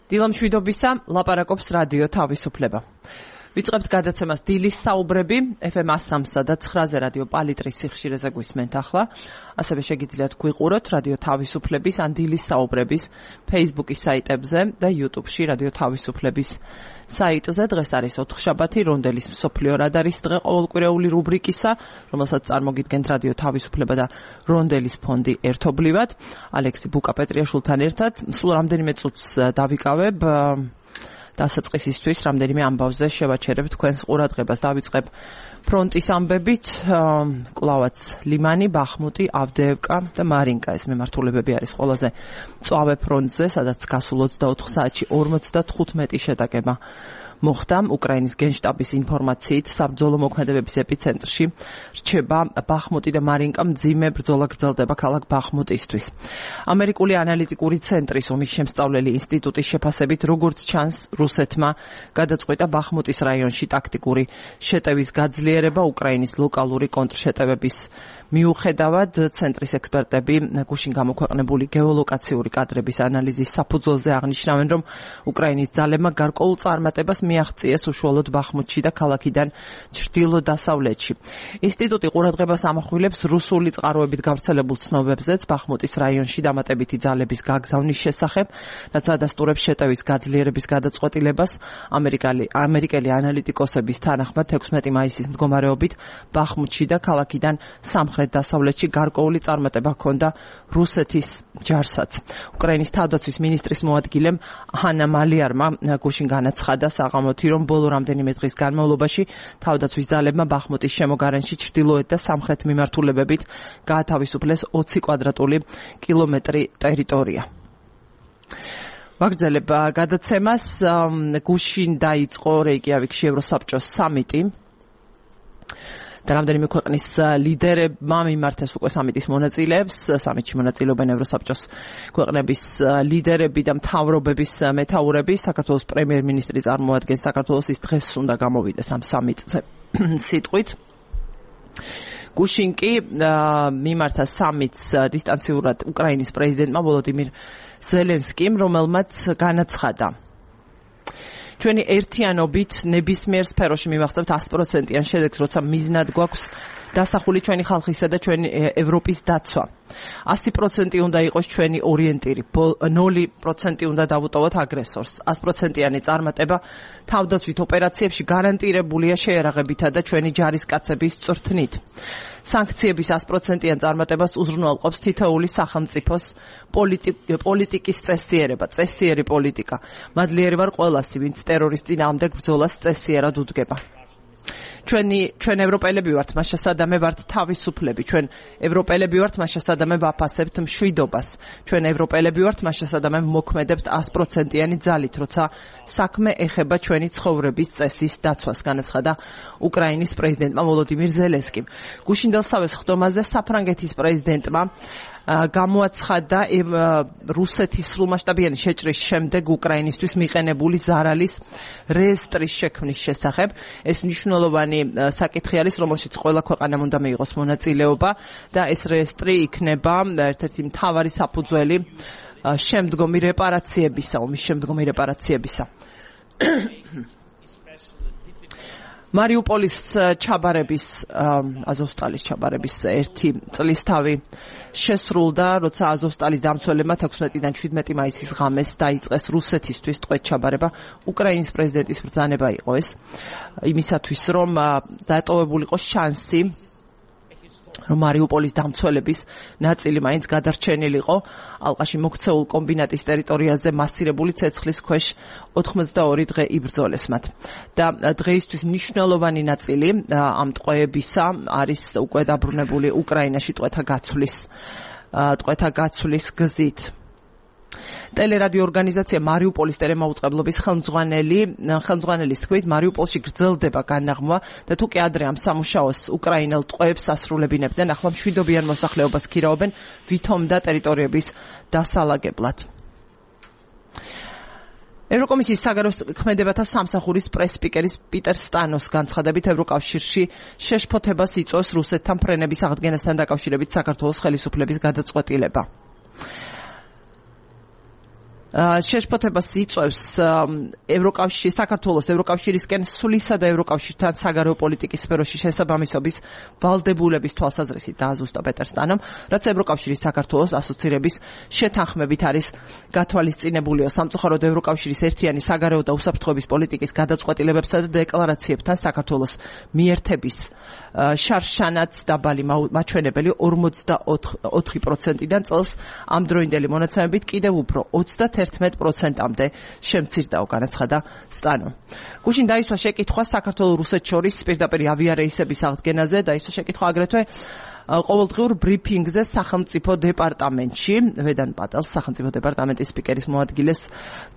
დილამშვიდობისა, ლაპარაკობს რადიო თავისუფლება. ვიწყებთ გადაცემას დილის საუბრები, FM 103 და 9-ზე რადიო პალიტრის სიხშირეზე გვისმენთ ახლა. ასევე შეგიძლიათ გვიყუროთ რადიო თავისუფლების ან დილის საუბრების Facebook-ის საიტებზე და YouTube-ში რადიო თავისუფლების საიტზე. დღეს არის ოთხშაბათი, რონდელის მსოფლიო რადარის დღე ყოველკვირეული რუბრიკისა, რომელსაც წარმოგიდგენთ რადიო თავისუფლება და რონდელის ფონდი ერთობლივად. ალექსი ბუკა-პეტრიაშვილთან ერთად. სულ რამდენიმე წუთს დავიკავებ დასაწყისისთვის, რამდენიმე ამბავზე შევაჩერებ თქვენს ყურადღებას. დავიწყებ ფრონტის ამბებით, კვლავაც ლიმანი, ბახმუტი, ავდეევკა და მარინკა. ეს მემართულებები არის ყველაზე მწვავე ფრონტზე, სადაც გასულ 24 საათში 55 შეტაკება მოხდა. უკრაინის გენშტაბის ინფორმაციით, საბრძოლო მოქმედებების ეპიცენტრში რჩება ბახმუტი და მარინკა. მძიმე ბრძოლა გრძელდება ქალაქ ბახმუტისთვის. ამერიკული ანალიტიკური ცენტრის ომის შემსწავლელი ინსტიტუტის შეფასებით, როგორც ჩანს, რუსეთმა გადაწყვიტა ბახმუტის რაიონში ტაქტიკური შეტევის გაძლიერება უკრაინის ლოკალური კონტრშეტევების მიუხედავად. ცენტრის ექსპერტები გუშინ გამოქვეყნებული გეოლოკაციური კადრების ანალიზის საფუძველზე აღნიშნავენ, რომ უკრაინის ძალებმა გარკვეულ წარმატებას მიაღწიეს უშუალოდ ბახმუტში და ქალაქიდან ჩრდილო-დასავლეთში. ინსტიტუტი ყურადღებას ამახვილებს რუსული წყაროებით გავრცელებულ ცნობებზეც ბახმუტის რაიონში დამატებითი ძალების გაგზავნის შესახებ, რაც ადასტურებს შეტევის გაძლიერების გადაწყვეტილებას. ამერიკელი ანალიტიკოსების თანახმად 16 მაისის მდგომარეობით ბახმუტში და ქალაქიდან სამხრეთ-დასავლეთში გარკვეული წარმატება ჰქონდა რუსეთის ჯარსაც. უკრაინის თავდაცვის ministris მოადგილემ ჰანა მალიარმა გუშინ განაცხადა საღამოთი, რომ ბოლო რამდენიმე დღის განმავლობაში თავდაცვის ძალებმა ბახმუტის შემოგარენში ჩრდილოეთ და სამხრეთ მიმართულებებით გაათავისუფლეს 20 კვადრატული კილომეტრი ტერიტორია. ვაგრძელებ გადაცემას. გუშინ დაიწყო რეიკიავიკში ევროსაბჭოს სამიტი. და რამდენიმე ქვეყნის ლიდერებმა მიმართეს უკვე სამიტის მონაწილეებს. სამიტში მონაწილეობენ ევროსაბჭოს ქვეყნების ლიდერები და მთავრობების მეთაურები. საქართველოს პრემიერ-მინისტრი წარმოადგენს საქართველოს, ის დღეს უნდა გამოვიდეს ამ სამიტზე სიტყვით. გუშინ კი მიმართა სამიტს დისტანციურად უკრაინის პრეზიდენტმა ვოლოდიმირ ზელენსკიმ, რომელმაც განაცხადა, ჩვენი ერთიანობით ნებისმიერ სფეროში მივაღწევთ 100%-იან შედეგს, როცა მიზნად გვაქვს დასახული ჩვენი ხალხისა და ჩვენი ევროპის დაცვა. 100% უნდა იყოს ჩვენი ორიენტირი, 0% უნდა დავუტოვოთ აგრესორს. 100%-იანი წარმატება თავდაცვით ოპერაციებში გარანტირებულია შეერაღებითა და ჩვენი ჯარისკაცების წვრთნით. სანქციების 100%-იან წარმატებას უზრუნველყოფს თითოეული სახელმწიფოს პოლიტიკის წესიერი პოლიტიკა. მადლიერი ვარ ყველასი, ვინც ტერორის წინააღმდეგ ბრძოლას წესიერად უდგება. ჩვენ ევროპელები ვართ, მას შესადამე ვართ თავისუფლები. ჩვენ ევროპელები ვართ, მას შესადამე ვაფასებთ მშვიდობას. ჩვენ ევროპელები ვართ, მას შესადამე მოქმედებთ 100%-იანი ძალით, როცა საქმე ეხება ჩვენი ცხოვრების წესის დაცვას, განაცხადა უკრაინის პრეზიდენტმა ვოლოდიმირ ზელენსკიმ. გუშინდელსავე სხდომაზე საფრანგეთის პრეზიდენტმა გამოაცხადა რუსეთის სრულმასშტაბიანი შეჭრის შემდეგ უკრაინისთვის მიყენებული ზარალის რეესტრის შექმნის შესახებ. ეს მნიშვნელოვანი საკითხი არის, რომელშიც ყველა ქვეყანამ უნდა მიიღოს მონაწილეობა და ეს რეესტრი იქნება ერთ-ერთი მთავარი საფუძველი შემდგომი რეპარაციებისა, ომის შემდგომი რეპარაციებისა. მარიუპოლის ჩაბარების, აზოვსტალის ჩაბარების 1 წლის თავი შესრულდა, როცა აზოვსტალის დამცველებმა 16-დან 17 მაისის ღამეს დაიწყეს რუსეთისთვის ტყვედ ჩაბარება. უკრაინის პრეზიდენტის ბრძანება იყო ეს, იმისათვის, რომ დატოვებულიყო შანსი, რომ მარიუპოლის დამცველების ნაწილი მაინც გადარჩენილიყო ალყაში მოქცეულ კომბინატის ტერიტორიაზე მასირებული ცეცხლის ქვეშ 82 დღე იბრძოლეს მათ. და დღეისთვის მნიშვნელოვანი ნაწილი ამ ტყვეებისა არის უკვე დაბრუნებული უკრაინაში ტყვეთა გაცვლის გზით. ტელერადიო ორგანიზაცია მარიუპოლის ტელემაუწყებლობის ხელმძღვანელის თქმით, მარიუპოლში გრძელდება განაღმვა და თუ კი ადრე ამ სამუშაოს უკრაინელ ტყვეებს ასრულებინებდნენ, ახლა მშვიდობიან მოსახლეობას ქირაობენ ვითომ და ტერიტორიების დასალაგებლად. ევროკომისიის საგარეო ქმედებათა სამსახურის პრეს-სპიკერის პიტერ სტანოს განცხადებით, ევროკავშირში შეშფოთებას იწვევს რუსეთთან ფრენების აღდგენასთან დაკავშირებით საქართველოს ხელისუფლების გადაწყვეტილება. შეშფოთებას იწვევს ევროკავშირი საქართველოს ევროკავშირისკენ სულისა და ევროკავშირთან საგარეო პოლიტიკის სფეროში შესაბამისობის ვალდებულების თვალსაზრისით დააზუსტა პეტერ სტანომ, რაც ევროკავშირის საქართველოს ასოცირების შეთანხმებით არის გათვალისწინებულიო. სამწუხაროდ ევროკავშირის ერთიანი საგარეო და უსაფრთხოების პოლიტიკის გადაწყვეტილებებსა და დეკლარაციებთან საქართველოს მიერთების შარშანაც დაბალი მაჩვენებელი 44%-დან წელს ამ დროინდელი მონაცემებით კიდევ უფრო 31%-მდე შემცირდაო, განაცხადა სტანო. გუშინ დაისვა შეკითხვა საქართველოს-რუსეთს შორის პირდაპირ ავიარეისების აღდგენაზე, დაისვა შეკითხვა აგრეთვე ყოველდღიურ ბრიფინგზე სახელმწიფო დეპარტამენტში, ვედან პატელს სახელმწიფო დეპარტამენტის სპიკერის მოადგილეს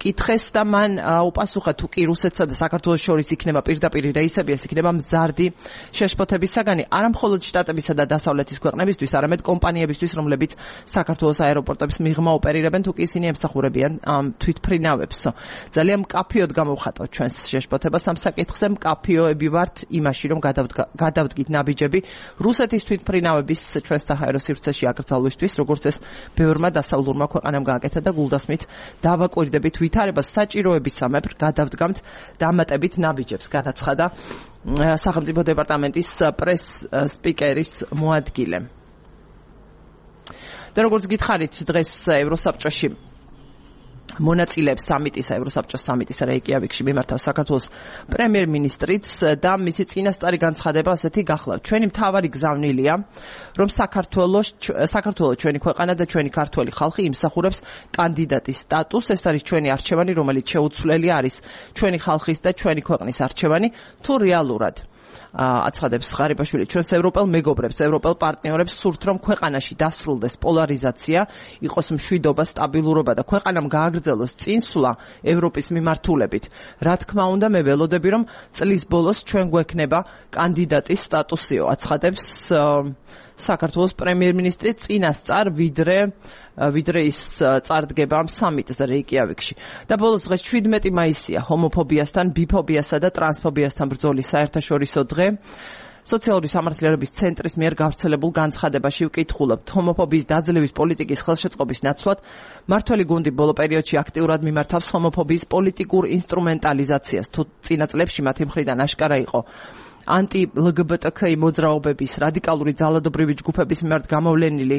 კითხეს და მან უპასუხა თუ კი რუსეთსა და საქართველოს შორის იქნება პირდაპირ რეისები, ეს იქნება მზარდი შეშფოთების საგანი არა მხოლოდ შტატებისა და დასავლეთის ქვეყნებისთვის, არამედ კომპანიებისთვის, რომლებიც საქართველოს აეროპორტების მიღმა ოპერირებენ, თუ კი ისინი ემსახურებიან თვითმფრინავებს. ძალიან მკაფიოდ გამოვხატავთ ჩვენს შეშფოთებას ამ საკითხზე, მკაფიოები ვართ იმაში, რომ გადავდგით ნაბიჯები რუსეთის თვითმფრინავებს ჩვენს საჰაერო სივრცეში აკრძალვისთვის, როგორც ეს ბევრმა დასავლურმა ქვეყანამ გააკეთა და გულდასმით დავაკვირდებით ვითარებას საჭიროებისამებრ გადავდგამთ დამატებით ნაბიჯებს, განაცხადა სახელმწიფო დეპარტამენტის პრეს სპიკერის მოადგილე. და როგორც გითხარით, დღეს ევროსაბჭოში მონაწილეებს სამიტისა, ევროსაბჭოს სამიტის რეიკიავიკში მიმართავს საქართველოს პრემიერ-მინისტრიც და მისი წინასწარი განცხადება ასეთი გახლავთ. ჩვენი მთავარი გზავნილია, რომ საქართველოს ჩვენი ქვეყანა და ჩვენი ქართველი ხალხი იმსახურებს კანდიდატის სტატუსს. ეს არის ჩვენი არჩევანი, რომელიც შეუცვლელი არის ჩვენი ხალხის და ჩვენი ქვეყნის არჩევანი, თუ რეალურად აცხადებს ღარიბაშვილი, ჩვენს ევროპელ მეგობრებს, ევროპელ პარტნიორებს სურთ, რომ ქვეყანაში დასრულდეს პოლარიზაცია, იყოს მშვიდობა, სტაბილურობა და ქვეყანამ გააგრძელოს წინსვლა ევროპის მიმართულებით. რა თქმა უნდა, მე ველოდები, რომ წლის ბოლოს ჩვენ გვექნება კანდიდატის სტატუსიო, აცხადებს საქართველოს პრემიერ-მინისტრი წინასწარ ვიდრე ის წარდგება ამ სამიტზე რეიკიავიკში. და ბოლოს დღეს 17 მაისია ჰომოფობიასთან, ბიფობიასა და ტრანსფობიასთან ბრძოლის საერთაშორისო დღე. სოციალური სამართლიანობის ცენტრის მიერ გავრცელებულ განცხადებაში ვკითხულობთ ჰომოფობიის დაძლევის პოლიტიკის ხელშეწყობის ნაცვლად მმართველი გუნდი ბოლო პერიოდში აქტიურად მიმართავს ჰომოფობიის პოლიტიკურ ინსტრუმენტალიზაციას, თუ წინა წლებში მათი მხრიდან აშკარა იყო ანტი-ლგბტკ მოძრაობების რადიკალური ძალადობრივი ჯგუფების მიმართ გამოვლენილი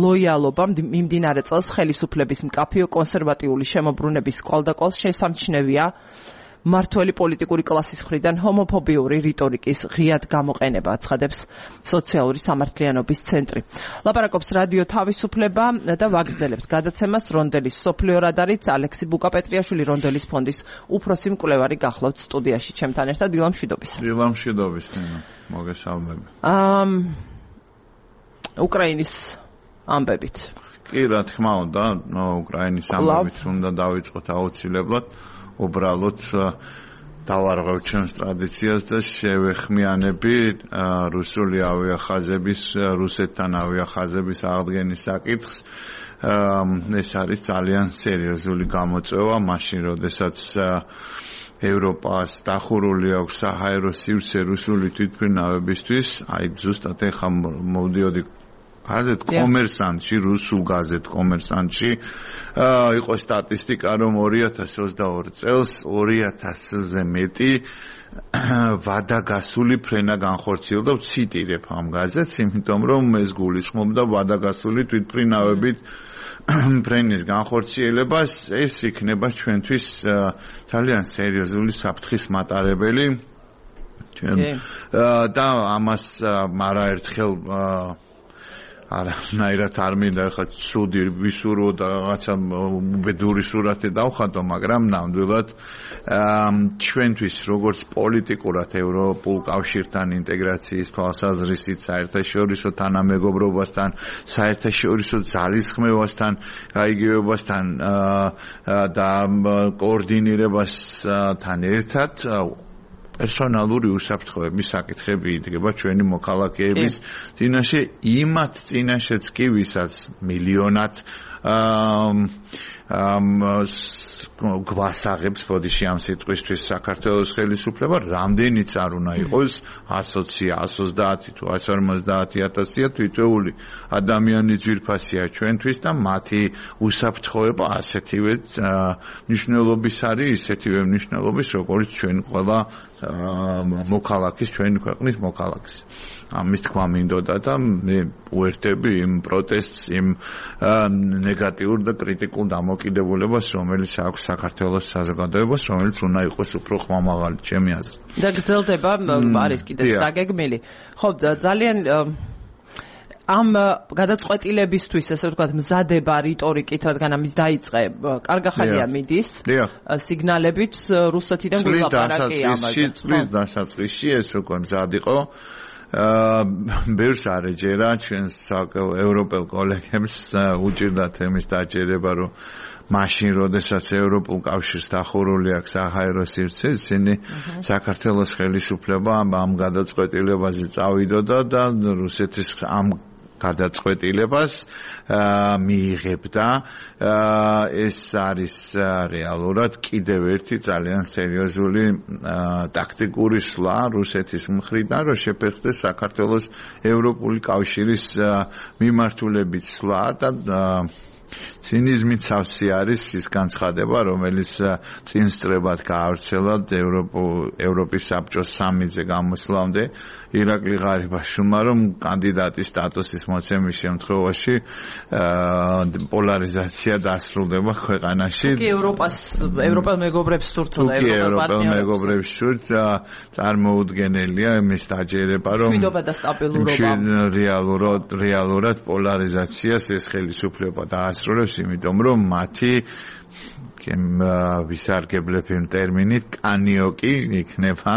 ლოიალობა მიმდინარე წელს ხელისუფლების მკაფიო კონსერვატიული შემოbrunების კვალდაკვალ შესამჩნევია მმართველი პოლიტიკური კლასის მხრიდან ჰომოფობიური რიტორიკის ღიად გამოყენება, აცხადებს სოციალური სამართლიანობის ცენტრი. ლაპარაკობს რადიო თავისუფლება და ვაგრძელებთ გადაცემას რონდელის სოფლიო რადარით. ალექსი ბუკაპეტრიაშვილი რონდელის ფონდის უფროსი მკვლევარი გახლავთ სტუდიაში ჩემთან ერთად. დილამშვიდობის. დილამშვიდობის, მოგესალმები. უკრაინის ამბებით. კი, რა თქმა უნდა, უკრაინის ამბებით უნდა დავიწყოთ აუცილებლად. უბრალოდ დავარღვევ ჩვენს ტრადიციას და შევეხმიანები რუსული ავიახაზების, რუსეთთან ავიახაზების აღდგენის საკითხს. ეს არის ძალიან სერიოზული გამოწვევა, მაშინ როდესაც ევროპას დახურული აქვს საჰაერო სივრცე რუსული თვითმფრინავებისთვის, აი ზუსტად ეხლა მოვდიოდი გაზეთ კომერსანტში, რუსულ გაზეთ კომერსანტში იყო სტატისტიკა, რომ 2022 წელს 2000-ზე მეტი ვადაგასული ფრენა განხორციელდა. ვციტირებ ამ გაზეთს, იმიტომ რომ ეს გულისხმობდა ვადაგასული თვითმფრინავებით ფრენის განხორციელებას. ეს იქნება ჩვენთვის ძალიან სერიოზული საფრთხის მატარებელი. და ამას არაერთხელ არანაირად არ მინდა ხა ცუდი ვისურო და რაღაცა უბედური სურათი დავხატო, მაგრამ ნამდვილად ჩვენთვის როგორც პოლიტიკურად ევროპულ კავშირთან ინტეგრაციის თვალსაზრისით, საერთაშორისო თანამეგობრობასთან, საერთაშორისო ძალისხმევასთან, გაიგივებასთან და კოორდინირებასთან ერთად პერსონალური უსაფრთხოების საკითხები იდგება ჩვენი მოქალაქეების წინაშე, იმათ წინაშეც კი, ვისაც მილიონად გვასაღებს ბოდიში ამ სიტყვისთვის საქართველოს ხელისუფლება რამდენიც არ უნდა იყოს 120, 130 თუ 150,000 თითოეული ადამიანი ძვირფასია ჩვენთვის და მათი უსაფრთხოება ასეთივე მნიშვნელობის არის, ისეთივე მნიშვნელობის როგორც ჩვენ ყველა მოქალაქის, ჩვენი ქვეყნის მოქალაქის. ამის თქვა მინდოდა და მე უერთები იმ პროტესტს, იმ ნეგატიურ და კრიტიკულ დამოკიდებულებას, რომელიც აქვს საქართველოს საზოგადოებას, რომელიც უნდა იყოს უფრო ხმამაღალი, ჩემი აზრით. და გრძელდება არის კიდეც დაგეგმილი. ხო, ძალიან ამ გადაწყვეტილებისთვის, ესე ვთქვათ, მზადება რიტორიკით, რადგან ამის დაიწყე, კარგი ხანია მიდის. სიგნალებით რუსეთიდან გულაპარაკია ამაზე. წლის დასაწყისში ეს უკვე მზად იყო. ბევრს არ ეჯერა ჩვენს ევროპელ კოლეგებს უჭირდათ εμის დაჯერება, რომ მაშინ, როდესაც ევროპულ კავშირს დახურული აქვს საჰაერო სივრცე, ისინი საქართველოს ხელისუფლება ამ გადაწყვეტილებაზე წავიდოდა და რუსეთის ამ გადაწყვეტილებას მიიღებდა. ეს არის რეალურად კიდევ ერთი ძალიან სერიოზული ტაქტიკური სვლა რუსეთის მხრიდან, რომ შეფერხდეს საქართველოს ევროპული კავშირის მიმართულებით სვლა და ცინიზმით სავსე არის ის განცხადება, რომელიც წინსწრებად გაავრცელა ევროპის საბჭოს სამიზე გამოსვლამდე ირაკლი ღარიბაშვილმა, რომ კანდიდატის სტატუსის მოცემის შემთხვევაში პოლარიზაცია დასრულდება ქვეყანაში. თუკი ევროპელ მეგობრებს სურთულა, ევროპელ მეგობრებს სურთ წარმოუდგენელია იმის დაჯერება, რომ მშვიდობა და სტაბილურობა რეალურად პოლარიზაციას ეს ხელისუფლება დაასრულებს, იმიტომ რომ მათი ვისარგებლებ იმ ტერმინით კანიოკი იქნება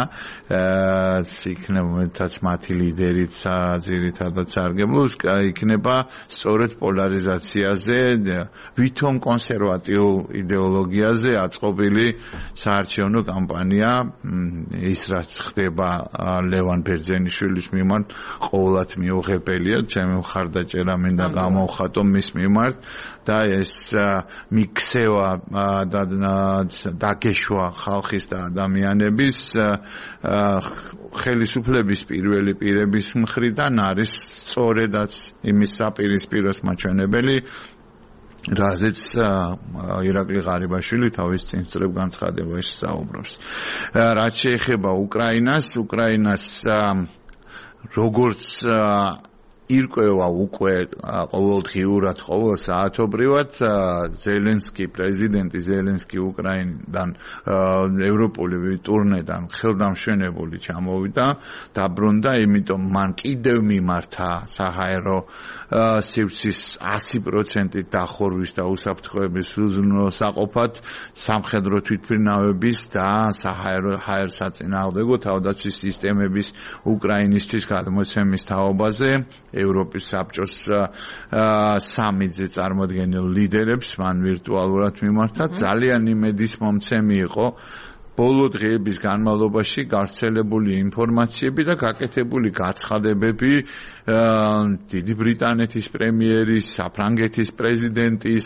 იქნებაც მათი ლიდერიც ძირითადად სარგებლობს, იქნება სწორედ პოლარიზაციაზე, ვითომ კონსერვატიულ იდეოლოგიაზე აწყობილი საარჩევნო კამპანია, ის რაც ხდება ლევან ბერძენიშვილის მიმართ ყოველად მიუღებელია, ჩემი მხარდაჭერა მინდა გამოვხატო მის მიმართ და ეს მიქსევა და დაგეშვა ხალხის და ადამიანების ხელისუფლების პირველი პირების მხრიდან არის სწორედაც იმის საპირისპიროს მაჩვენებელი, რაზეც ირაკლი ღარიბაშვილი თავის წინსწრებ განცხადებაში საუბრობს. რაც შეეხება უკრაინას როგორც ირკვევა უკვე ყოველდღიურად, ყოველ საათობრივად პრეზიდენტი ზელენსკი უკრაინიდან ევროპული ტურნედან ხელდამშვენებული ჩამოვიდა, დაბრუნდა, იმიტომ მან კიდევ მიმართა საჰაერო სივრცის 100% დახურვის და უსაფრთხოების უზრუნველსაყოფად სამხედრო თვითმფრინავების და საჰაერო საწინააღმდეგო თავდაცვის სისტემების უკრაინისთვის გადმოცემის თაობაზე ევროპის საბჭოს სამიძე წარმოადგენელ ლიდერებს მან ვირტუალურად მიმართა. ძალიან იმედის მომცემი იყო ბოლო დღეების განმავლობაში გავრცელებული ინფორმაციები და გაკეთებული გაცხადებები დიდი ბრიტანეთის პრემიერის, საფრანგეთის პრეზიდენტის,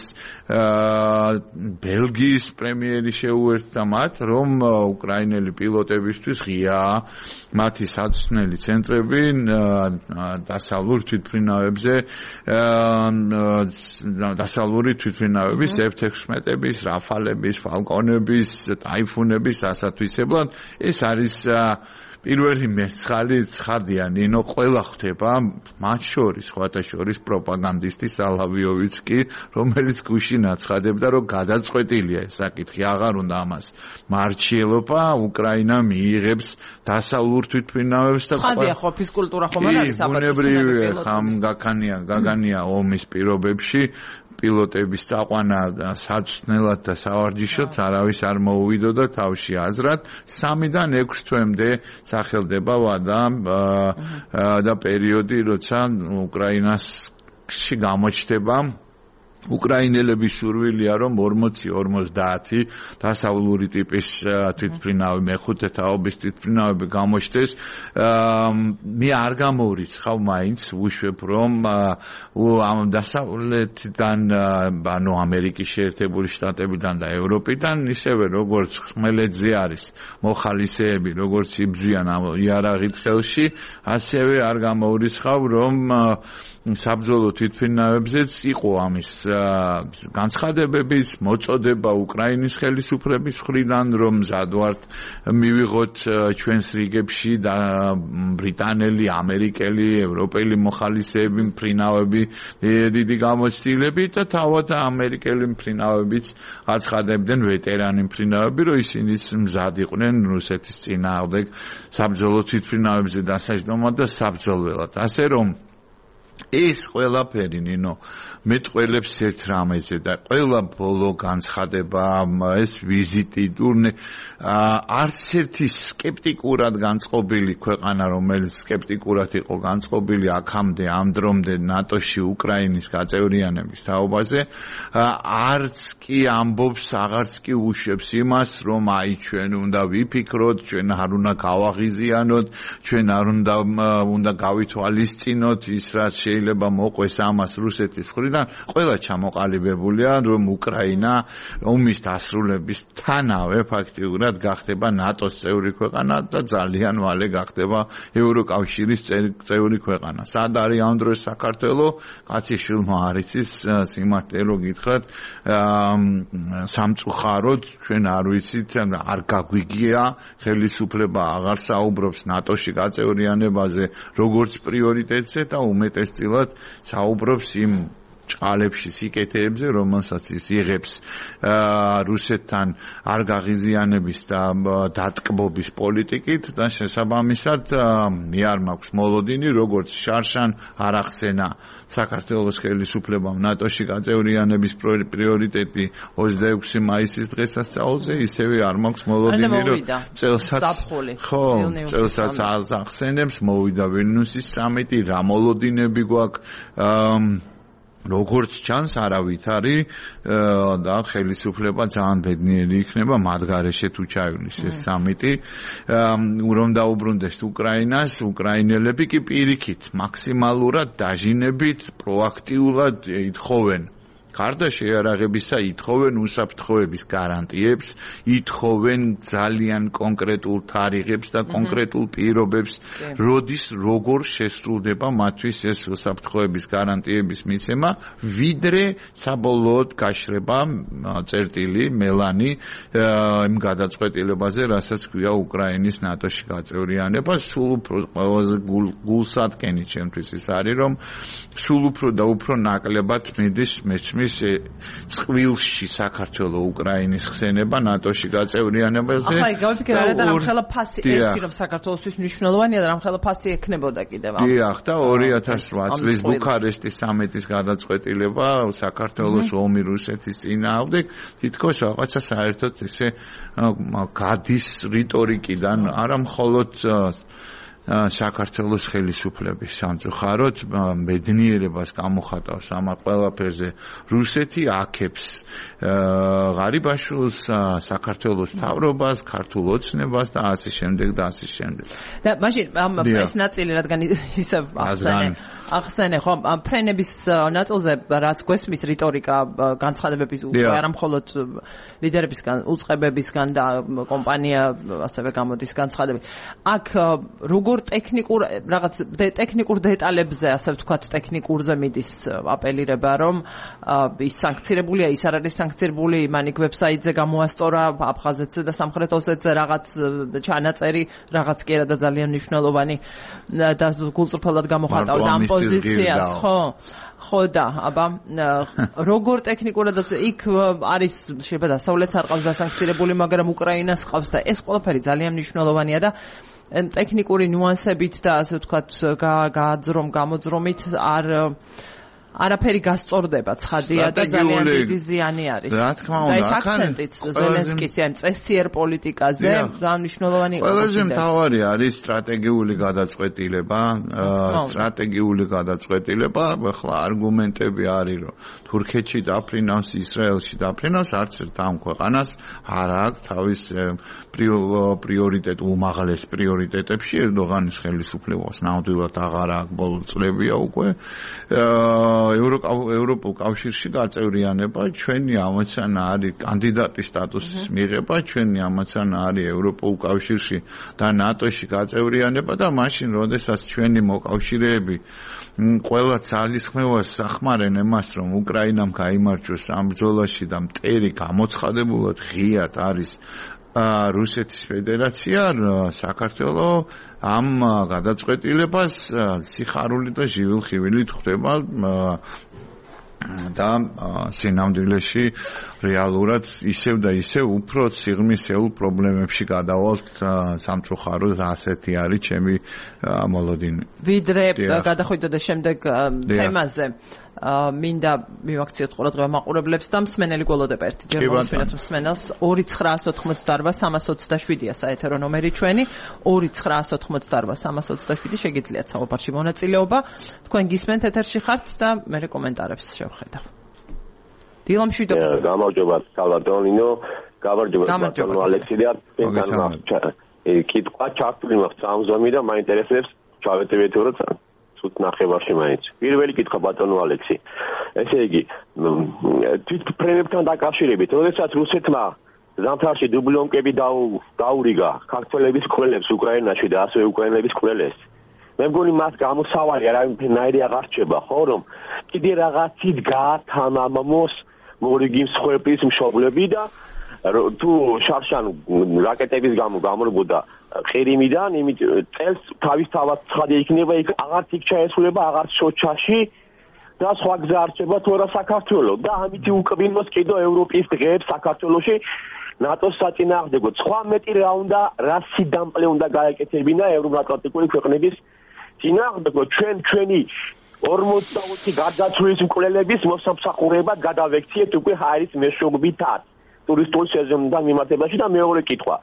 ბელგიის პრემიერი შეუერთდა მათ, რომ უკრაინელი პილოტებისთვის ღიაა მათი საცვლელი ცენტრები დასავლურ თვითმფრინავებზე, დასავლური თვითმფრინავების F-16-ების, რაფალების, ფალკონების, ტაიფუნების ასათვისებლად. ეს არის პირველი მერცხალი ცხადია, ნინო, ყველა ხვდება, მათ შორის, სხვათა შორის პროპაგანდისტი სალავიოვიც კი, რომელიც გუშინ აცხადებდა, რომ გადაწყვეტილია ეს საკითხი, აღარ უნდა ამას მარჩიელობა, უკრაინა მიიღებს დასავლურ თვითმფრინავებს და ცხადია, ხო, ფიზკულტურა ხომ არ არის საბჭოთა ბუნებრივია, ხამ გაგანია ომის პირობებში პილოტების წაყვანა საცვლელად და სავარჯიშოდ არავის არ მოუვიდოდა თავში აზრად. 3-დან 6 თვემდე სახელდება ვადა და პერიოდი, როცა უკრაინაში გამოჩნდება უკრაინელების სურვილია რომ 40-50 დასავლური ტიპის თვითმფრინავი მეხუთე თაობის თვითმფრინავები გამოჩნდეს. მე არ გამოვრიცხავ მაინც ვუშვებ რომ ამ დასავლეთიდან ანუ ამერიკის შეერთებული შტატებიდან და ევროპიდან ისევე როგორც ხმელეთზე არის მოხალისეები როგორც იბრძვიან ამ იარაღით ხელში ასევე არ გამოვრიცხავ რომ საბრძოლო თვითმფრინავებზეც იყო ამის განცხადებების მოწოდება უკრაინის ხელისუფლების მხრიდან რომ მზად ვართ მივიღოთ ჩვენს რიგებში და ბრიტანელი, ამერიკელი, ევროპელი მოხალისეები მფრინავები დიდი გამოცდილებით და თავად ამერიკელი მფრინავებიც აცხადებდნენ ვეტერანი მფრინავები რომ ისინი მზად იყვნენ რუსეთის წინააღმდეგ საბრძოლო თვითმფრინავებზე დასაჯდომად და საბრძოლველად ასე რომ ეს ყველაფერი ნინო მეტყველებს ერთ რამეზე და ყველა ბოლო განცხადება ეს ვიზიტი ტურნე არც ერთი სკეპტიკურად განწყობილი ქვეყანა რომელიც სკეპტიკურად იყო განწყობილი აქამდე ამ დრომდე ნატოში უკრაინის გაწევრიანების თაობაზე არც კი ამბობს აღარც კი უშვებს იმას რომ აი ჩვენ უნდა ვიფიქროთ ჩვენ არ უნდა გავაღიზიანოთ ჩვენ არ უნდა გავითვალისწინოთ ის რაც შეიძლება მოყვეს ამას რუსეთის მხრიდან ყველა ჩამოყალიბებულია რომ უკრაინა ომის დასრულებისთანავე ფაქტიურად გახდება ნატოს წევრი ქვეყანა და ძალიან მალე გახდება ევროკავშირის წევრი ქვეყანა. სად არის ამ დროს საქართველო? კაციშვილმა არ იცის სიმართლე რო გითხრათ სამწუხაროდ ჩვენ არ ვიცით არ გაგვიგია ხელისუფლება აღარ საუბრობს ნატოში გაწევრიანებაზე როგორც პრიორიტეტზე და უმეტესწილად საუბრობს იმ ჭყალებში სიკეთეებზე რომელსაც ის იღებს რუსეთთან არ გაღიზიანების და დატკბობის პოლიტიკით და შესაბამისად მე არ მაქვს მოლოდინი როგორც შარშან არ ახსენა საქართველოს ხელისუფლებამ ნატოში გაწევრიანების პრიორიტეტი 26 მაისის დღესასწაულზე ისევე არ მაქვს მოლოდინი რომ წელსაც ახსენებს მოვიდა ვილნიუსის სამიტი რა მოლოდინები გვაქვს როგორც ჩანს არავითარი და ხელისუფლება ძალიან ბედნიერი იქნება მათ გარეშე თუ ჩაივლის ეს სამიტი რომ დაუბრუნდეს უკრაინას უკრაინელები კი პირიქით მაქსიმალურად დაჟინებით პროაქტიულად ითხოვენ გარდა შეიარაღებისა ითხოვენ უსაფრთხოების გარანტიებს, ითხოვენ ძალიან კონკრეტულ თარიღებს და კონკრეტულ პირობებს, როდის როგორ შესრულდება მათთვის ეს უსაფრთხოების გარანტიების მიცემა, ვიდრე საბოლოოდ გაშრება წერტილი მელანი იმ გადაწყვეტილებაზე, რასაც ქვია უკრაინის ნატოში გაწევრიანება, სულ უფრო ყველაზე გულსატკენი ჩემთვის ის არის, რომ სულ უფრო და უფრო ნაკლებად მიდის მესმის წყვილში საქართველოს უკრაინის ხსენება ნატოში გაწევრიანებაზე. ახლა გავიფიქრე რა და რამხელა ფასი ერთი რომ საქართველოსთვის მნიშვნელოვანია და რამხელა ფასი ექნებოდა კიდევ. დიახ და 2008 წლის ბუქარესტის სამიტის გადაწყვეტილება საქართველოს ომი რუსეთის წინააღმდეგ თითქოს რაღაცა საერთოდ ესე გადის რიტორიკიდან არა მხოლოდ საქართველოს ხელისუფლების სამწუხაროდ ბედნიერებას გამოხატავს ამ ყველაფერზე რუსეთი აქებს ღარიბაშვილს საქართველოს მთავრობას ქართულ ოცნებას და ასე შემდეგ და ასე შემდეგ და მაშინ ეს ნაწილი რადგან ისევ ახსენე ხო ფრენების ნაწილზე რაც გვესმის რიტორიკა განცხადებების არა მხოლოდ ლიდერებისგან უწყებებისგან და კომპანია ასევე გამოდის განცხადები აქ როგორ ტექნიკურ რაღაც ტექნიკურ დეტალებზე ასე ვთქვათ ტექნიკურზე მიდის აპელირება რომ ის სანქცირებულია ის არ არის სანქცირებული მან იქ ვებსაიტზე გამოასწორა აფხაზეთზე და სამხრეთ ოსეთზე რაღაც ჩანაწერი რაღაც კი არა და ძალიან მნიშვნელოვანი და გულწრფელად გამოხატავდა ამ პოზიციას ხო და აბა როგორ ტექნიკურად იქ არის შეიძლება დასავლეთს არ ყავს დასანქცირებული მაგრამ უკრაინას ყავს და ეს ყველაფერი ძალიან მნიშვნელოვანია და ტექნიკური ნიუანსებით და ასე ვთქვათ გამოძრომით არაფერი გასწორდება ცხადია და ძალიან დიდი ზიანი არის. რა თქმა უნდა, ეს აქცენტიც ზელენსკის ამ წესიერ პოლიტიკაზე ძალიან მნიშვნელოვანი იყო. ყველაზე მთავარი არის სტრატეგიული გადაწყვეტილება, ახლა არგუმენტები არის, რომ თურქეთში დაფრინავს, ისრაელში დაფრინავს, არც ერთ ამ ქვეყანას არ აქვს თავის პრიორიტეტ უმაღლეს პრიორიტეტებში ერდოღანის ხელისუფლებას ნამდვილად აღარ აქვს ბოლო წლებია უკვე ევროპულ კავშირში გაწევრიანება ჩვენი ამოცანა არის კანდიდატის სტატუსის მიღება ჩვენი ამოცანა არის ევროპულ კავშირში და ნატოში გაწევრიანება და მაშინ როდესაც ჩვენი მოკავშირეები ყველა ძალისხმევას სახმარენ εμას რომ უკრაინამ გაიმარჯვოს ამ ბრძოლაში და მტერი გამოცხადებულად ღიად არის რუსეთის ფედერაცია საქართველოს ამ გადაწყვეტილებას სიხარული და ჟივილხივილით ხვდება და სინამდვილეში რეალურად ისევ და ისევ უფრო სიღრმისეულ პრობლემებში გადავალთ სამწუხაროდ ასეთი არის ჩემი მოლოდინი. ვიდრე გადახვიდოთ და შემდეგ თემაზე მინდა მივაქციოთ ყურადღება მაყურებლებს და მსმენელი გველოდება ერთი ჯერ მოსვენოთ მსმენელს 2988327-ია საეთერო ნომერი ჩვენი 2988327 შეგიძლიათ საუბარში მონაწილეობა თქვენ გისმენთ ეთერში ხართ და მე კომენტარებს შევხედავ. დილამ შვიდობას. გამარჯობა სალვადორინო, გამარჯობა ალექსი და კითხვა ჩართული მაქვს სამზომი და მაინტერესებს ჩავეტევით როცა ცუდ ნახევარში მაინც. პირველი კითხვა ბატონო ალექსი. ესე იგი თვითფრენებთან დაკავშირებით, როდესაც რუსეთმა ზამთარში დუბლიონკები დაურიგა ქართველების კვლელებს უკრაინაში და ასევე უკრაინელების კვლელებს. მე მგონი მას გამოსავალი არავითარი აღარ რჩება, ხო, რომ კიდე რაღაცით გაათამამოს მორიგი მსხვერპლის მშობლები და თუ შარშან რაკეტების გამო გამორბოდა ყირიმიდან, იმით წელს თავისთავად ცხადი იქნება, იქ აღარც იქ ჩაესულება, აღარც სოჩაში და სხვა გზა არ რჩება თუ არა საქართველოს და ამით უკბინოს კიდევ ევროპის დღეებს საქართველოში ნატოს საწინააღმდეგოდ. სხვა მეტი რა უნდა, რა სიდამპლე უნდა გაეკეთებინა ევროატლანტიკური ქვეყნების წინააღმდეგოდ ჩვენი 40 გარდაცვლილის მკვლელების მოსამსახურებად გადავექციეთ უკვე ჰაერის მეშვეობითაც ტურისტული სეზონიდან მიმართებაში და მეორე კითხვა.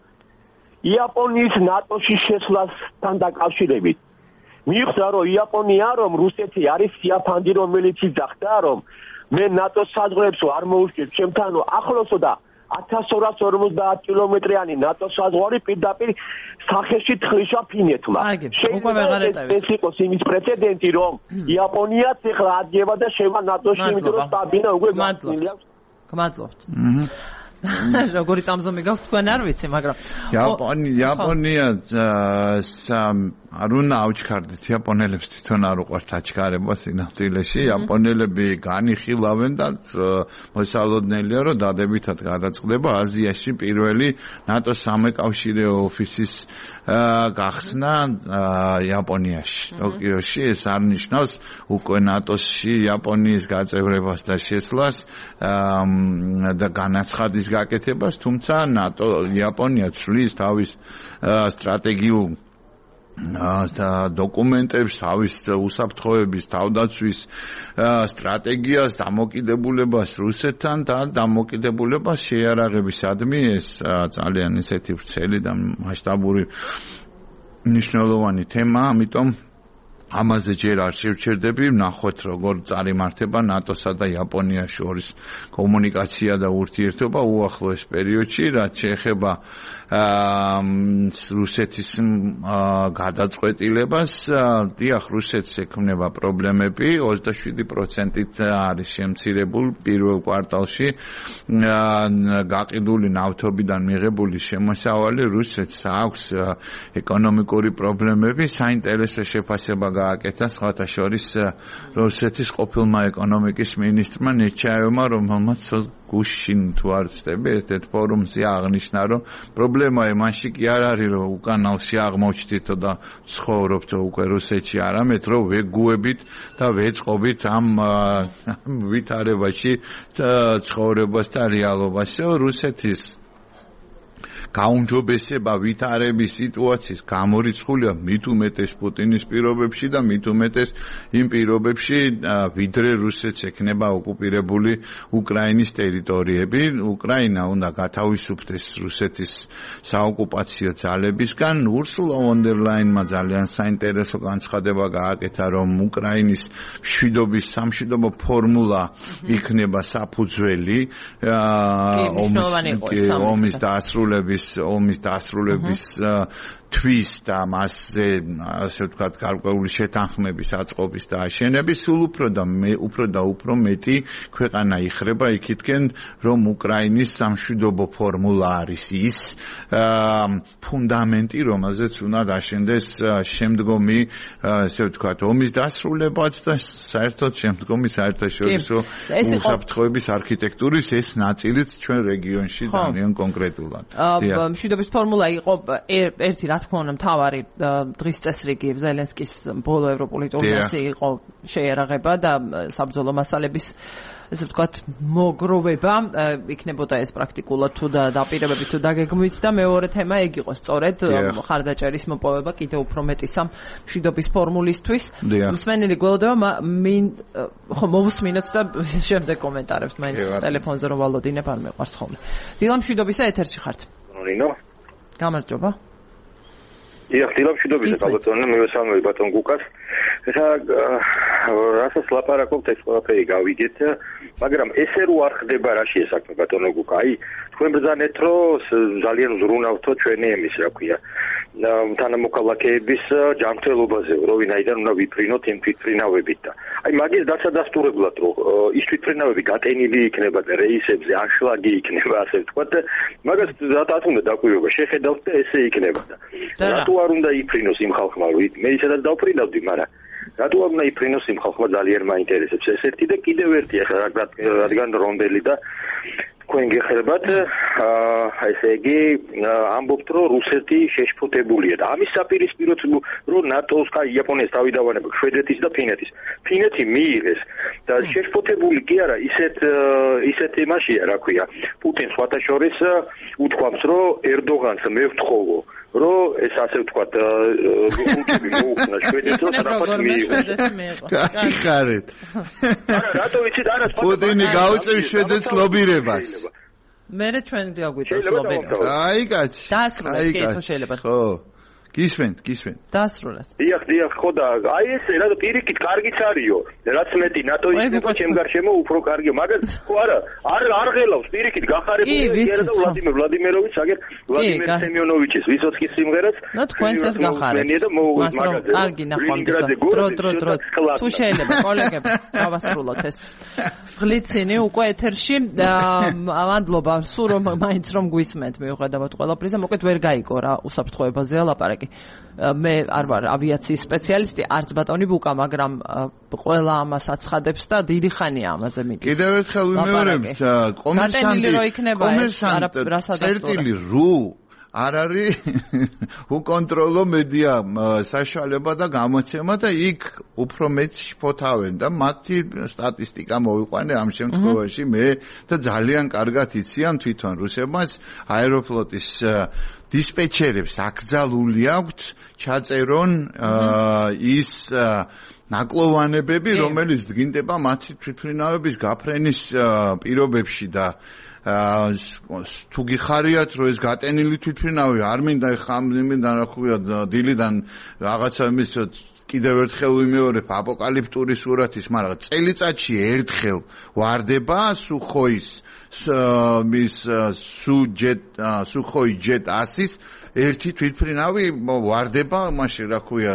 იაპონიის ნატოში შესვლასთან დაკავშირებით მიხვდა რომ იაპონია რომ რუსეთი არის სიაფანდი რომელიც იძახდა რომ მე ნატოს საზღვრებს არ მოუშკეთ ჩემთან ახლოსო და 1250 კილომეტრიანი ნატოს საზღვარი პირდაპირ სახეში თხლიშა ფინეთმა. ეს იყოს იმის პრეცედენტი რომ იაპონიაც ეხლა ადგება და შევა ნატოში იმიტომ რომ სტაბინა უკვე გასწრილი აქვს. გმადლობთ. როგორი წამზომი გაქვთ თქვენ არ ვიცი მაგრამ იაპონია არ უნდა ავჩქარდეთ იაპონელებს თვითონ არ უყვართ აჩქარება სინამდვილეში იაპონელები განიხილავენ და მოსალოდნელია რომ დადებითად გადაწყდება აზიაში პირველი ნატოს სამეკავშირეო ოფისის გახსნა იაპონიაში ტოკიოში ეს არ ნიშნავს უკვე ნატოში იაპონიის გაწევრებას და შესვლას და განაცხადის გაკეთებას თუმცა ნატო იაპონია ცვლის თავის სტრატეგიულ დოკუმენტებს თავის უსაფრთხოების თავდაცვის სტრატეგიას დამოკიდებულებას რუსეთთან და დამოკიდებულებას შეიარაღებისადმი ეს ძალიან ისეთი ვრცელი და მასშტაბური მნიშვნელოვანი თემაა ამიტომ ამაზე ჯერ არ შევჩერდები ვნახოთ როგორ წარიმართება ნატოსა და იაპონიას შორის კომუნიკაცია და ურთიერთობა უახლოეს პერიოდში რაც შეეხება რუსეთის გადაწყვეტილებას დიახ რუსეთს ექმნება პრობლემები 27%-ით არის შემცირებული პირველ კვარტალში გაყიდული ნავთობიდან მიღებული შემოსავალი რუსეთს აქვს ეკონომიკური პრობლემები საინტერესო შეფასება გააკეთა სხვათა შორის რუსეთის ყოფილმა ეკონომიკის მინისტრმა ნეჩაევმა რომელმაც გუშინ თუ არ ვცდები ერთ-ერთ ფორუმზე აღნიშნა რომ პრობლემა იმაში კი არ არის რომ უკანალში აღმოჩნდითო და ცხოვრობთო უკვე რუსეთში არამედ რომ ვეგუებით და ვეწყობით ამ ვითარებაში ცხოვრებას და რეალობაში რუსეთის გაუმჯობესება ვითარების სიტუაციის გამორიცხულია მით უმეტეს პუტინის პირობებში და მით უმეტეს იმ პირობებში, ვიდრე რუსეთს ექნება ოკუპირებული უკრაინის ტერიტორიები. უკრაინა უნდა გათავისუფლდეს რუსეთის საოკუპაციო ძალებისგან. ურსულა ფონ დერ ლაინმა ძალიან საინტერესო განცხადება გააკეთა, რომ უკრაინის მშვიდობის სამშვიდობო ფორმულა იქნება საფუძველი ომის დასრულების თვის და მასზე ასე ვთქვათ გარკვეული შეთანხმების აწყობის და აშენების სულ უფრო მეტი ქვეყანა იხრება იქითკენ, რომ უკრაინის სამშვიდობო ფორმულა არის ის ფუნდამენტი, რომელზეც უნდა აშენდეს შემდგომი ასე ვთქვათ ომის დასრულებაც და საერთოდ შემდგომი საერთაშორისო უსაფრთხოების არქიტექტურის ეს ნაწილიც ჩვენ რეგიონში ძალიან კონკრეტულად. მშვიდობის ფორმულა იყო ერთი რა თქმა უნდა მთავარი დღის წესრიგი ზელენსკის ბოლო ევროპული ტურნირი იყო შეიარაღება და საბრძოლო მასალების ესე ვთქვათ მოგროვება იქნებოდა ეს პრაქტიკულად თუ დაპირებებით თუ დაგეგმვით და მეორე თემა ეგ იყო სწორედ ხარდაჭერის მოპოვება კიდევ უფრო მეტი მშვიდობის ფორმულისთვის. მსმენელი გველოდება ხო მოვუსმინოთ და შემდეგ კომენტარებს მაინც ტელეფონზე რომ ვალოდინებ არ მეყვარს ხოლმე. დილა მშვიდობისა ეთერში ხართ. გამარჯობა. დილა მშვიდობისა გაბატონო მივესალმები ბატონ გუკას. ეხლა რასაც ლაპარაკობთ ეს ყველაფერი გავიგეთ, მაგრამ ესე რო არ ხდება რა შეესაქმე ბატონო გუკა. აი თქვენ ბრძანეთ რომ ძალიან ზრუნავთო ჩვენი ემის რა ქვია თანამოქალაქეების ჯანმრთელობაზე, რომ ვინაიდან უნდა ვიფრინოთ იმ თვითფრინავებით და აი მაგის დასადასტურებლად რომ ის თვითფრინავები გატენილი იქნება და რეისებზე აშლაგი იქნება ასე ვთქვათ, მაგას რატომ უნდა დაკვირვება შეხედავთ და ესე იქნება და რატო არ უნდა იფრინოს იმ ხალხმა, მე ისედაც დავფრინავდი, მაგრამ რატო არ უნდა იფრინოს იმ ხალხმა ძალიან მაინტერესებს ეს ერთი და კიდევ ერთი ახლა რადგან რომბელი და თქვენ გეხებათ ესე იგი ამბობთ რომ რუსეთი შეშფოთებულია და ამის საპირისპიროდ რომ ნატოს და იაპონიის თავიდანვანება შვედეთის და ფინეთის ფინეთი მიიღეს და შეშფოთებული კი არა ისეთ იმაშია რა ქვია პუტინს სხვათა შორის უთქვამს რომ ერდოღანს მე ვთხოვო რომ ეს ასე ვთქვათ გუჩები მოუხსნა შვედეთს და რაფაც მიიღოს კაიხარეთ არა რატო ვიცით არა პუტინი გაუწევს შვედეთს ლობირებას მე ჩვენ გაგვიწევს ლობირებას აი კაცი დაასრულეთ კითხვა შეიძლება ხო გისვენთ დაასრულეთ დიახ ხო და აი ესე რა პირიქით კარგიც არისო რაც მეტი ნატო იქნება ჩემ გარშემო უფრო კარგია მაგრამ ხო არა არ ღელავს პირიქით გახარებულია და ვლადიმიროვიჩ აგერ ვლადიმერ სემიონოვიჩის ვისოცკის სიმღერაც თქვენც ეს გახარებთ კარგი ნახვამდის დრო თუ შეიძლება კოლეგები დავასრულოთ ეს ღლიცინი უკვე ეთერში მადლობა სულ რომ მაინც რომ გვისმენთ მიუხედავად ყველაფრისა მოკლედ ვერ გაიგო რა უსაფრთხოებაზეა ლაპარაკი მე არ ვარ ავიაციის სპეციალისტი არც ბატონი ბუკა მაგრამ ყველა ამას აცხადებს და დიდი ხანია ამაზე მიდის კიდევ ერთხელ ვიმეორებთ კომერსანტი არ არის უკონტროლო მედია საშუალება და გამოცემა და იქ უფრო მეც შფოთავენ და მათი სტატისტიკა მოვიყვანე ამ შემთხვევაში მე და ძალიან კარგად იციან თვითონ რუსებმაც აეროფლოტის დისპეჩერებს აკრძალული აქვთ ჩაწერონ ის ნაკლოვანებები რომელიც დგინდება მათი თვითმფრინავების გაფრენის პირობებში და თუ გიხარიათ რომ ეს გატენილი თვითმფრინავი არ მინდა ხამიდან რა ქვია დილიდან რაღაცა იმის კიდევ ერთხელ ვიმეორებ აპოკალიფტური სურათის მაგრამ წელიწადში ერთხელ ვარდება სუხოის მის სუხოი ჯეტ 100-ის ერთი თვითმფრინავი ვარდება მაშინ რა ქვია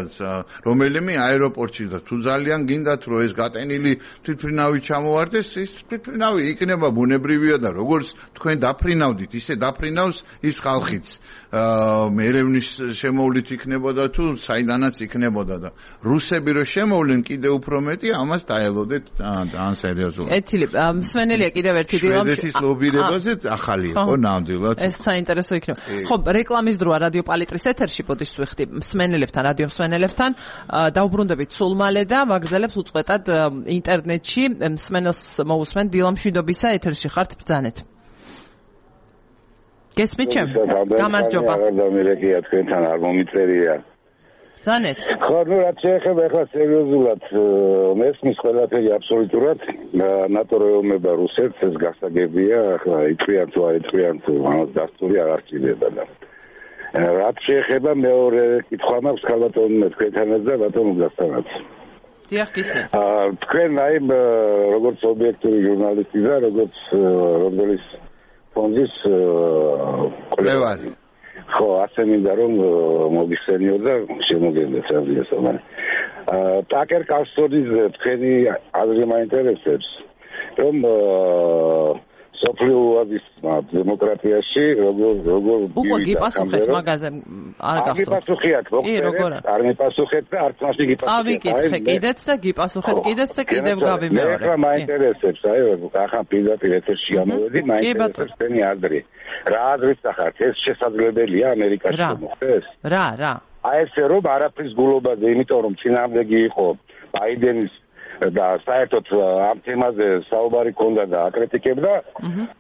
რომელიმე აეროპორტში და თუ ძალიან გინდათ რომ ეს გატენილი თვითმფრინავი ჩამოვარდეს ის თვითმფრინავი იქნება ბუნებრივია და როგორც თქვენ დაფრინავდით ისე დაფრინავს ის ხალხიც ერევნის შემოვლით იქნებოდა თუ საიდანაც იქნებოდა და რუსები რო შემოვლენ კიდე უფრო მეტი ამას დაელოდეთ ძალიან სერიოზულად ეთილი მსმენელია კიდევ ერთი დილა შვედეთის ლობირებაზე ახალი იყო ნამდვილად ეს საინტერესო იქნება ხო რეკლამის დროა რადიო პალიტრის ეთერში პოდიშს ვიხდი მსმენელებთან რადიო მსმენელებთან დავბრუნდებით სულ მალე და ვაგრძელებს უწყვეტად ინტერნეტში მსმენელს მოусმენ დილა მშვიდობისა ეთერში ხართ ბრძანეთ გესმით ჩემ? გამარჯობა. გამარჯობა, თქვენთან არ მომიწერია. ზანეთ. ხო, ნუ რაც შეეხება ახლა სერიოზულად მესმის ყველაფერი აბსოლუტურად ნატო რეომება რუსეთს ეს გასაგებია, ახლა იწვიან თუ არ იწვიან თუ ამას დასტური არ არჩიდება და რაც შეეხება მეორე კითხვა მაქვს ქალბატონმა თქვენთანაც და ბატონო გასთანაც. დიახ, გისმენთ. თქვენ აი როგორც ობიექტური ჟურნალისტი და როგორც რობდელის ფონდის კვლევარი. ხო, ასე მინდა რომ მოგიხსენიო და შემოგენდეთ რადიოსთან. ტაკერ კარლსონის თქვენი აზრი მაინტერესებს, რომ სოფლიოების დემოკრატიაში როგორ უკვე გიპასუხეთ მაგაზე არ გახსოვთ. გიპასუხეთ, მოკლედ, არ მიპასუხეთ და არც მასი გიპასუხეთ. წავიკითხე კიდეც და გიპასუხეთ კიდეც და კიდევ გავიმეორე. მე მაინტერესებს, აი ახლა პირდაპირ ეთერში გამოვედი, მაინტერესებს თქვენი აზრი. რა აზრით ახართ, ეს შესაძლებელია ამერიკაში მოხდეს? რა? აი ესე რომ არაფრის გულობაზე, იმიტომ რომ წინააღმდეგი იყო ბაიდენის და საერთოდ ამ თემაზე საუბარი ქონდა და აკრიტიკებდა.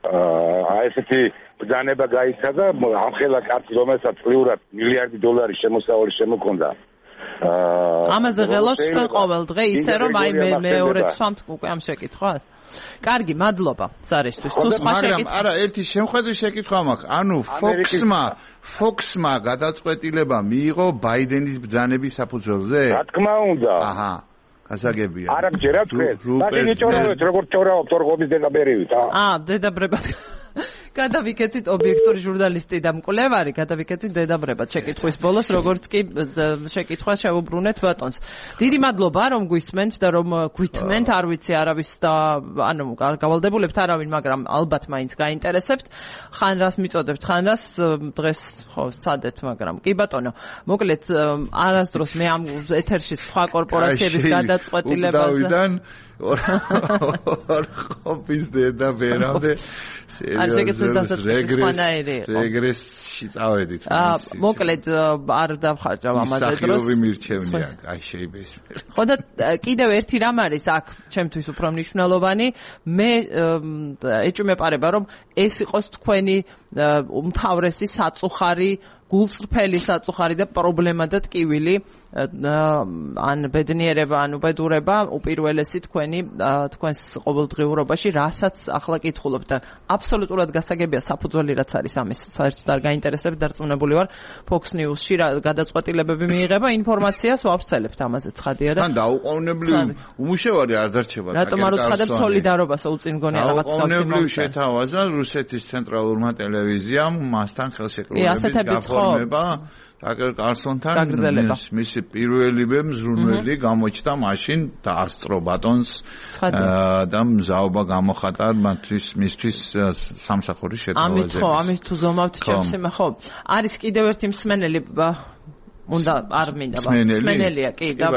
აი ესეთი ბრძანება გაიცა და ამხელა კაცი რომელსაც წლიურად $1 მილიარდი შემოსავალი შემოქონდა. ამაზე ღელავთ თქვენ ყოველ დღე ისე რომ აი მე მეორე ცვამთ უკვე ამ შეკითხვას. კარგი, მადლობა სარისთვის. თუ სხვა შეკითხვა. არა, ერთი შემხედრის შეკითხვა მაქვს. ანუ Fox-მა გადაწყვეტილება მიიღო ბაიდენის ბრძანების საფუძველზე? რა თქმა უნდა. აჰა. გასაგებია. არა გჯერა თქვენ. მაგ იჭორავთ როგორ ჭორავთ ორღობის დედაბრევით, დედაბრებად. გადავიქეცით ობიექტური ჟურნალისტი და მკვლევარი, გადავიქეცით დედაბრებად შეკითხვის ბოლოს, როგორც კი შეკითხვა შევუბრუნეთ ბატონს. დიდი მადლობა რომ გვისმენთ და რომ გვითმენთ, არ ვიცი არავის და ანუ გავალდებულებთ არავინ, მაგრამ ალბათ მაინც გაინტერესებთ. ხან რას მიწოდებთ, ხან რას დღეს ხო სცადეთ, მაგრამ კი ბატონო, მოკლედ არასდროს მე ამ ეთერში სხვა კორპორაციების გადაწყვეტილებაზე ხოპის დედა ვერამდე რეგრესში წავედით. მოკლედ არ დავხარჯავ ამაზე დროს. მსახიობი მირჩევნია, აი შეიბეს. ხო და კიდევ ერთი რამ არის აქ ჩემთვის უფრო მნიშვნელოვანი, მე ეჭვმეპარება რომ ეს იყოს თქვენი უმთავრესი საწუხარი, გულწრფელი საწუხარი და პრობლემა და ტკივილი ან ბედნიერება, ან უბედურება უპირველესი თქვენს ყოველდღიურობაში, რასაც ახლა კითხულობ და აბსოლუტურად გასაგებია საფუძველი რაც არის ამის, საერთოდ არ გაინტერესებს, დარწმუნებული ვარ Fox News-ში გადაწყვეტილებები მიიღება, ინფორმაციას ვავრცელებთ ამაზე ცხადია და თან დაუყოვნებლივ უმუშევარი არ დარჩება. რატომ არ უცხადებ სოლიდარობას უწინ გონია რაღაც დაუყოვნებლივ შეთავაზა რუსეთის ცენტრალურმა ტელევიზიამ მასთან ხელშეკრულების გაფორმება. ტაკერ კარლსონთან მისი პირველივე მზრუნველი გამოჩნდა მაშინ დაასწრო ბატონს და მზაობა გამოხატა მისთვის სამსახურის შეთავაზებას. ამის თუ ზომავთ ჩემს ხო. არის კიდევ ერთი მსმენელი უნდა არ მინდა მსმენელია კი და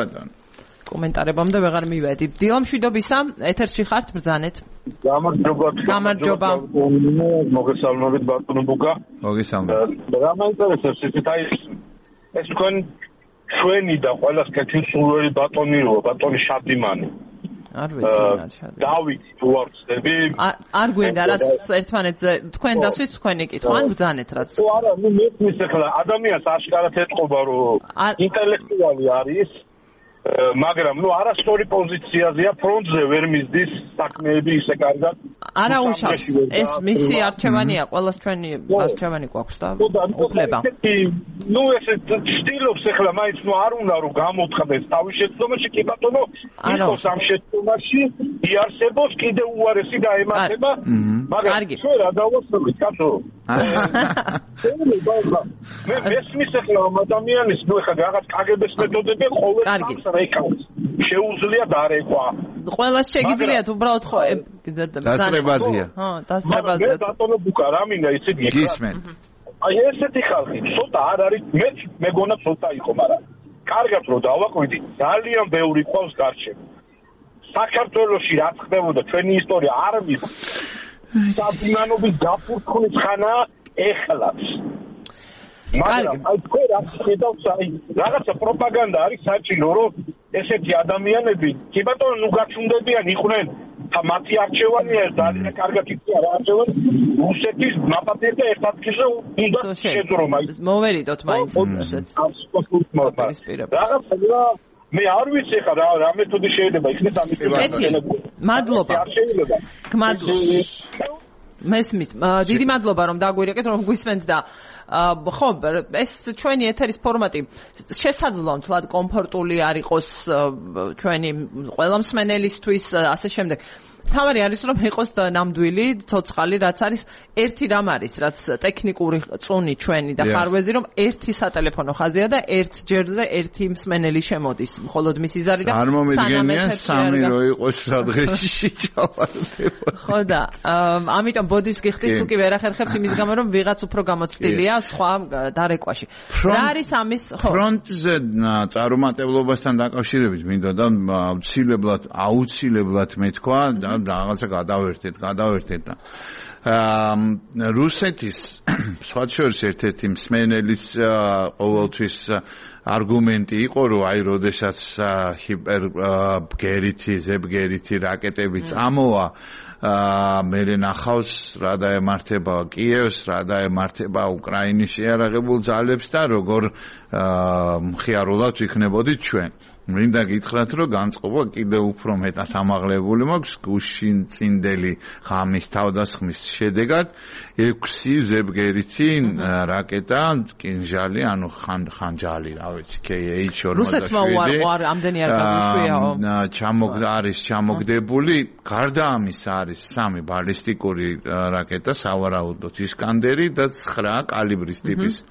კომენტარებამდე ვეღარ მივედი. დილამშვიდობისა, ეთერში ხართ, ბრძანეთ. გამარჯობა. მოგესალმებით ბატონო ბუკა. მოგესალმებით. რა მაინტერესებს ეს თქვენ ჩვენი და ყველას კეთილსურველი ბატონიო, ბატონი შადიმანი. არ ვიცი რა შადიმანი. დავით თუ არ ვწდები? არ გვინდა რა ერთმანეთზე თქვენ დასვით თქვენი კითხვა, ან ბრძანეთ რაც. არა, ნუ მეთქვის ახლა ადამიანს აშკარად ეთყობა რომ ინტელექტუალი არის. მაგრამ ნუ არასწორი პოზიციაზეა, ფრონტზე ვერ მისდის საქმეები ისე კარგად. არა უშავს. ეს მისი არჩევანია, ყველას ჩვენი არჩევანი გვაქვს და უფლება. ნუ ესე ცდილობს ახლა მაინც ნუ არ უნდა რომ გამოთხდეს თავის შეცდომაში, კი ბატონო, იყოს ამ შეცდომაში, იარსებოს კიდე უარესი დაემართება, მაგრამ ჩვენ რა დავასწრებით, კაცო? მე მესმის ახლა ამ ადამიანის ნუ ახლა რაღაც კგბ-ს მეთოდები ყოველ რეკავს შეუძლია დარეკვა. ყველას შეგიძლიათ უბრალოდ ხო დასწრებაზია. ხო, დასწრებაზია. ბატონო ბუკა რა მინდა იცით გისმენ. აი ესეთი ხალხი ცოტა არ არის, მე გონა ცოტა იყო, მაგრამ კარგად რომ დავაკვირდი, ძალიან ბევრი ყავს გარჩევა. საქართველოში რა ხდებოდა ჩვენი ისტორია არ ვიცი. საბუნანობის გაფურთხნის ხანა ეხლაც. მაგრამ აი თქვენ რა ხედავთ, აი რაღაცა პროპაგანდა არის საჭირო, რომ ესეთი ადამიანები კი ბატონო ნუ გაჩუნდებიან იყვნენ მათი არჩევანია ძალიან კარგად იცი რა არჩევანი რუსეთის ნაპატიებდა ერთ ადგილზე უნდა შეძრომა მოვერიდოთ მაინც რაღაცა მე არ ვიცი ხა რა მეთოდი შეიძლება იქნეს ამის მადლობა მესმის დიდი მადლობა რომ დაგვირეკეთ რომ გვისმენთ და ხო ეს ჩვენი ეთერის ფორმატი შესაძლოა თლად კომფორტული არ იყოს ჩვენი ყველა მსმენელისთვის ასე შემდეგ თავარი არის რომ იყოს ნამდვილი ცოცხალი რაც არის ერთი რამ არის რაც ტექნიკური წუნი ჩვენი და ხარვეზი რომ ერთი სატელეფონო ხაზია და ერთ ჯერზე ერთი მსმენელი შემოდის მხოლოდ მის იზარი და არ მომედგენია სამი რო იყოს რა დღეში ჩავარდება ხო და ამიტომ ბოდის გიხდით თუ კი ვერ ახერხებთ იმის გამო რომ ვიღაც უფრო გამოცდილია სხვა დარეკვაში რა არის ამის ხო ფრონტზე წარუმატებლობასთან დაკავშირებით მინდოდა და აუცილებლად მეთქვა და რაღაცა გადავერთეთ და რუსეთის სხვა შორის ერთ-ერთი მსმენელის ყოველთვის არგუმენტი იყო რომ აი როდესაც ჰიპერბგერითი ზებგერითი რაკეტები წამოვა მერე ნახავს რა დაემართება კიევს რა დაემართება უკრაინის შეიარაღებულ ძალებს და როგორ მხიარულად ვიქნებოდით ჩვენ მინდა გითხრათ რომ განწყობა კიდევ უფრო მეტად ამაღლებული მაქვს გუშინ წინდელი ღამის თავდასხმის შედეგად 6 ზებგერითი რაკეტა კინჟალი ანუ ხანჯალი რა ვიცი KH-47 რუსეთმა უარ ამდენი არ გაგვიშვიაო ჩამოგდებული გარდა ამისა არის 3 ბალისტიკური რაკეტა სავარაუდოდ ისკანდერი და 9 კალიბრის ტიპის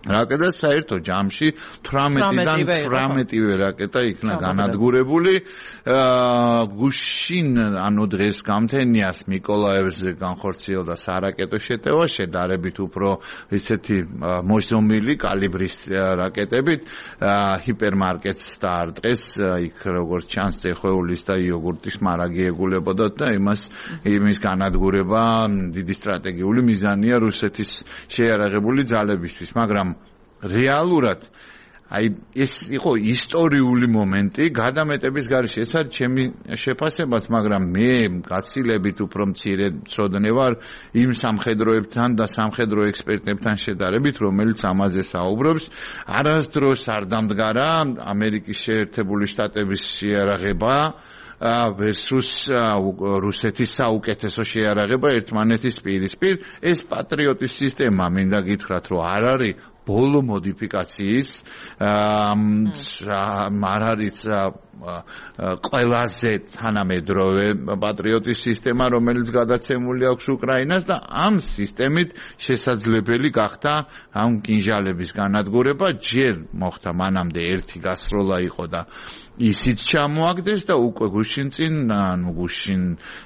რაკეტა საერთო ჯამში 18-დან 18-ვე რაკეტა იქნა განადგურებული გუშინ ანუ დღეს გამთენიას მიკოლაევზე განხორციელდა სარაკეტო შეტევა შედარებით უფრო ესეთი მოშომილი კალიბრის რაკეტებით ჰიპერმარკეტს დაარტყეს იქ როგორც ჩანს წეხვეულის და იოგურტის მარაგი ეგულებოდათ და იმის განადგურება დიდი სტრატეგიული მიზანია რუსეთის შეიარაღებული ძალებისთვის მაგრამ რეალურად აი ეს იყო ისტორიული მომენტი გადამეტების გარეშე ეს არის ჩემი შეფასებაც მაგრამ მე გაცილებით უფრო მცირე ცოდნე ვარ იმ სამხედროებთან და სამხედრო ექსპერტებთან შედარებით რომელიც ამაზე საუბრობს არასდროს არ დამდგარა ამერიკის შეერთებული შტატების შეიარაღება versus რუსეთის საუკეთესო შეიარაღება ერთმანეთის პირისპირ ეს პატრიოტის სისტემა მინდა გითხრათ რომ არ არის ბოლო მოდიფიკაციის არ არის ყველაზე თანამედროვე პატრიოტის სისტემა რომელიც გადაცემული აქვს უკრაინას და ამ სისტემით შესაძლებელი გახდა ამ კინჟალების განადგურება ჯერ მოხდა მანამდე ერთი გასროლა იყო და ისიც ჩამოაგდეს და უკვე გუშინ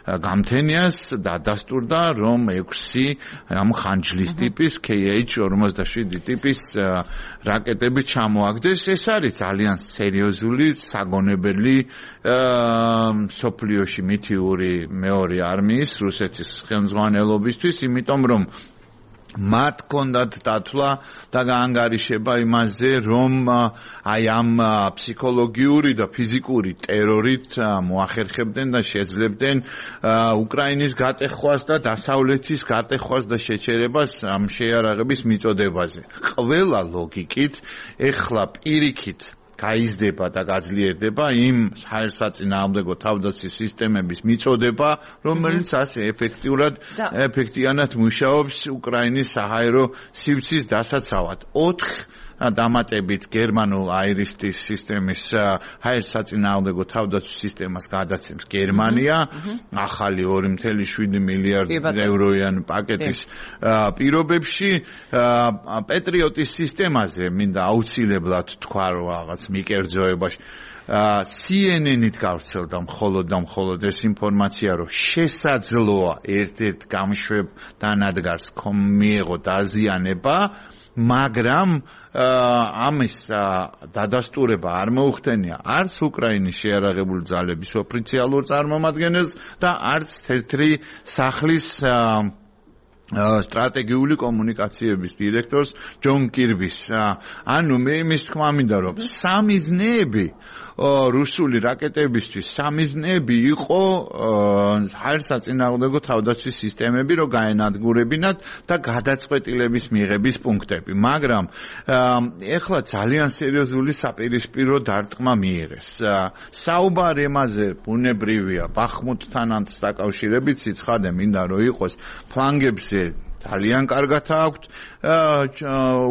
გამთენიას დადასტურდა რომ 6 ამ ხანჯლის ტიპის KH-47 ტიპის რაკეტები ჩამოაგდეს ეს არის ძალიან სერიოზული საგონებელი სოფლიოში მითიური მეორე არმიის რუსეთის ხელმძღვანელობისთვის იმიტომ რომ მათ კონდათ დათვლა და გაანგარიშება იმაზე რომ აი ამ ფსიქოლოგიური და ფიზიკური ტერორით მოახერხებდნენ და შეძლებდნენ უკრაინის გატეხვას და დასავლეთის გატეხვას და შეჩერებას ამ შეიარაღების მიწოდებაზე. ყველა ლოგიკით ეხლა პირიქით გაიზრდება და გაძლიერდება იმ საერთაშორისო თავდაცვის სისტემების მიწოდება, რომელიც ასე ეფექტიანად მუშაობს უკრაინის საჰაერო სივრცის დასაცავად. 4 დამატებით გერმანულ აირისტის სისტემის საერთაშორისო თავდაცვის სისტემას გადაცემს გერმანია, ახალი 2.7 მილიარდი ევროიან პაკეტის პირობებში პატრიოტის სისტემაზე მინდა აუცილებლად თქვა რომ რაღაც მიკერძოებაში CNN-ით გავრცელდა მხოლოდ ეს ინფორმაცია რომ შესაძლოა ერთ-ერთ გამშვებ დანადგარს მიეღო დაზიანება მაგრამ ამის დადასტურება არ მოუხდენია არც უკრაინის შეიარაღებული ძალების ოფიციალურ წარმომადგენელს და არც თეთრი სახლის სტრატეგიული კომუნიკაციების დირექტორს ჯონ კირბის. ანუ მე იმის თქმა მინდა რომ სამიზნეები რუსული რაკეტებისთვის სამიზნეები იყო ჰაერსაწინააღმდეგო თავდაცვის სისტემები რომ გაენადგურებინათ და გადაწყვეტილების მიღების პუნქტები, მაგრამ ეხლა ძალიან სერიოზული საპირისპირო დარტყმა მიიღეს. საუბარი ამაზე ბუნებრივია ბახმუთთანაც დაკავშირებით სიცხადე მინდა რომ იყოს ფლანგებზე ძალიან კარგად აქვთ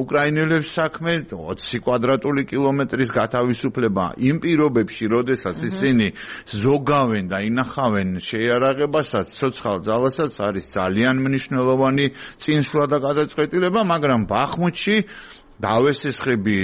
უკრაინელებს საქმე 20 კვადრატული კილომეტრის გათავისუფლება იმ პირობებში, როდესაც ისინი ზოგავენ და ინახავენ შეიარაღებასაც, ცოცხალ ძალასაც არის ძალიან მნიშვნელოვანი წინსვლა და გადაწყვეტილება, მაგრამ ბახმუთში დავესესხები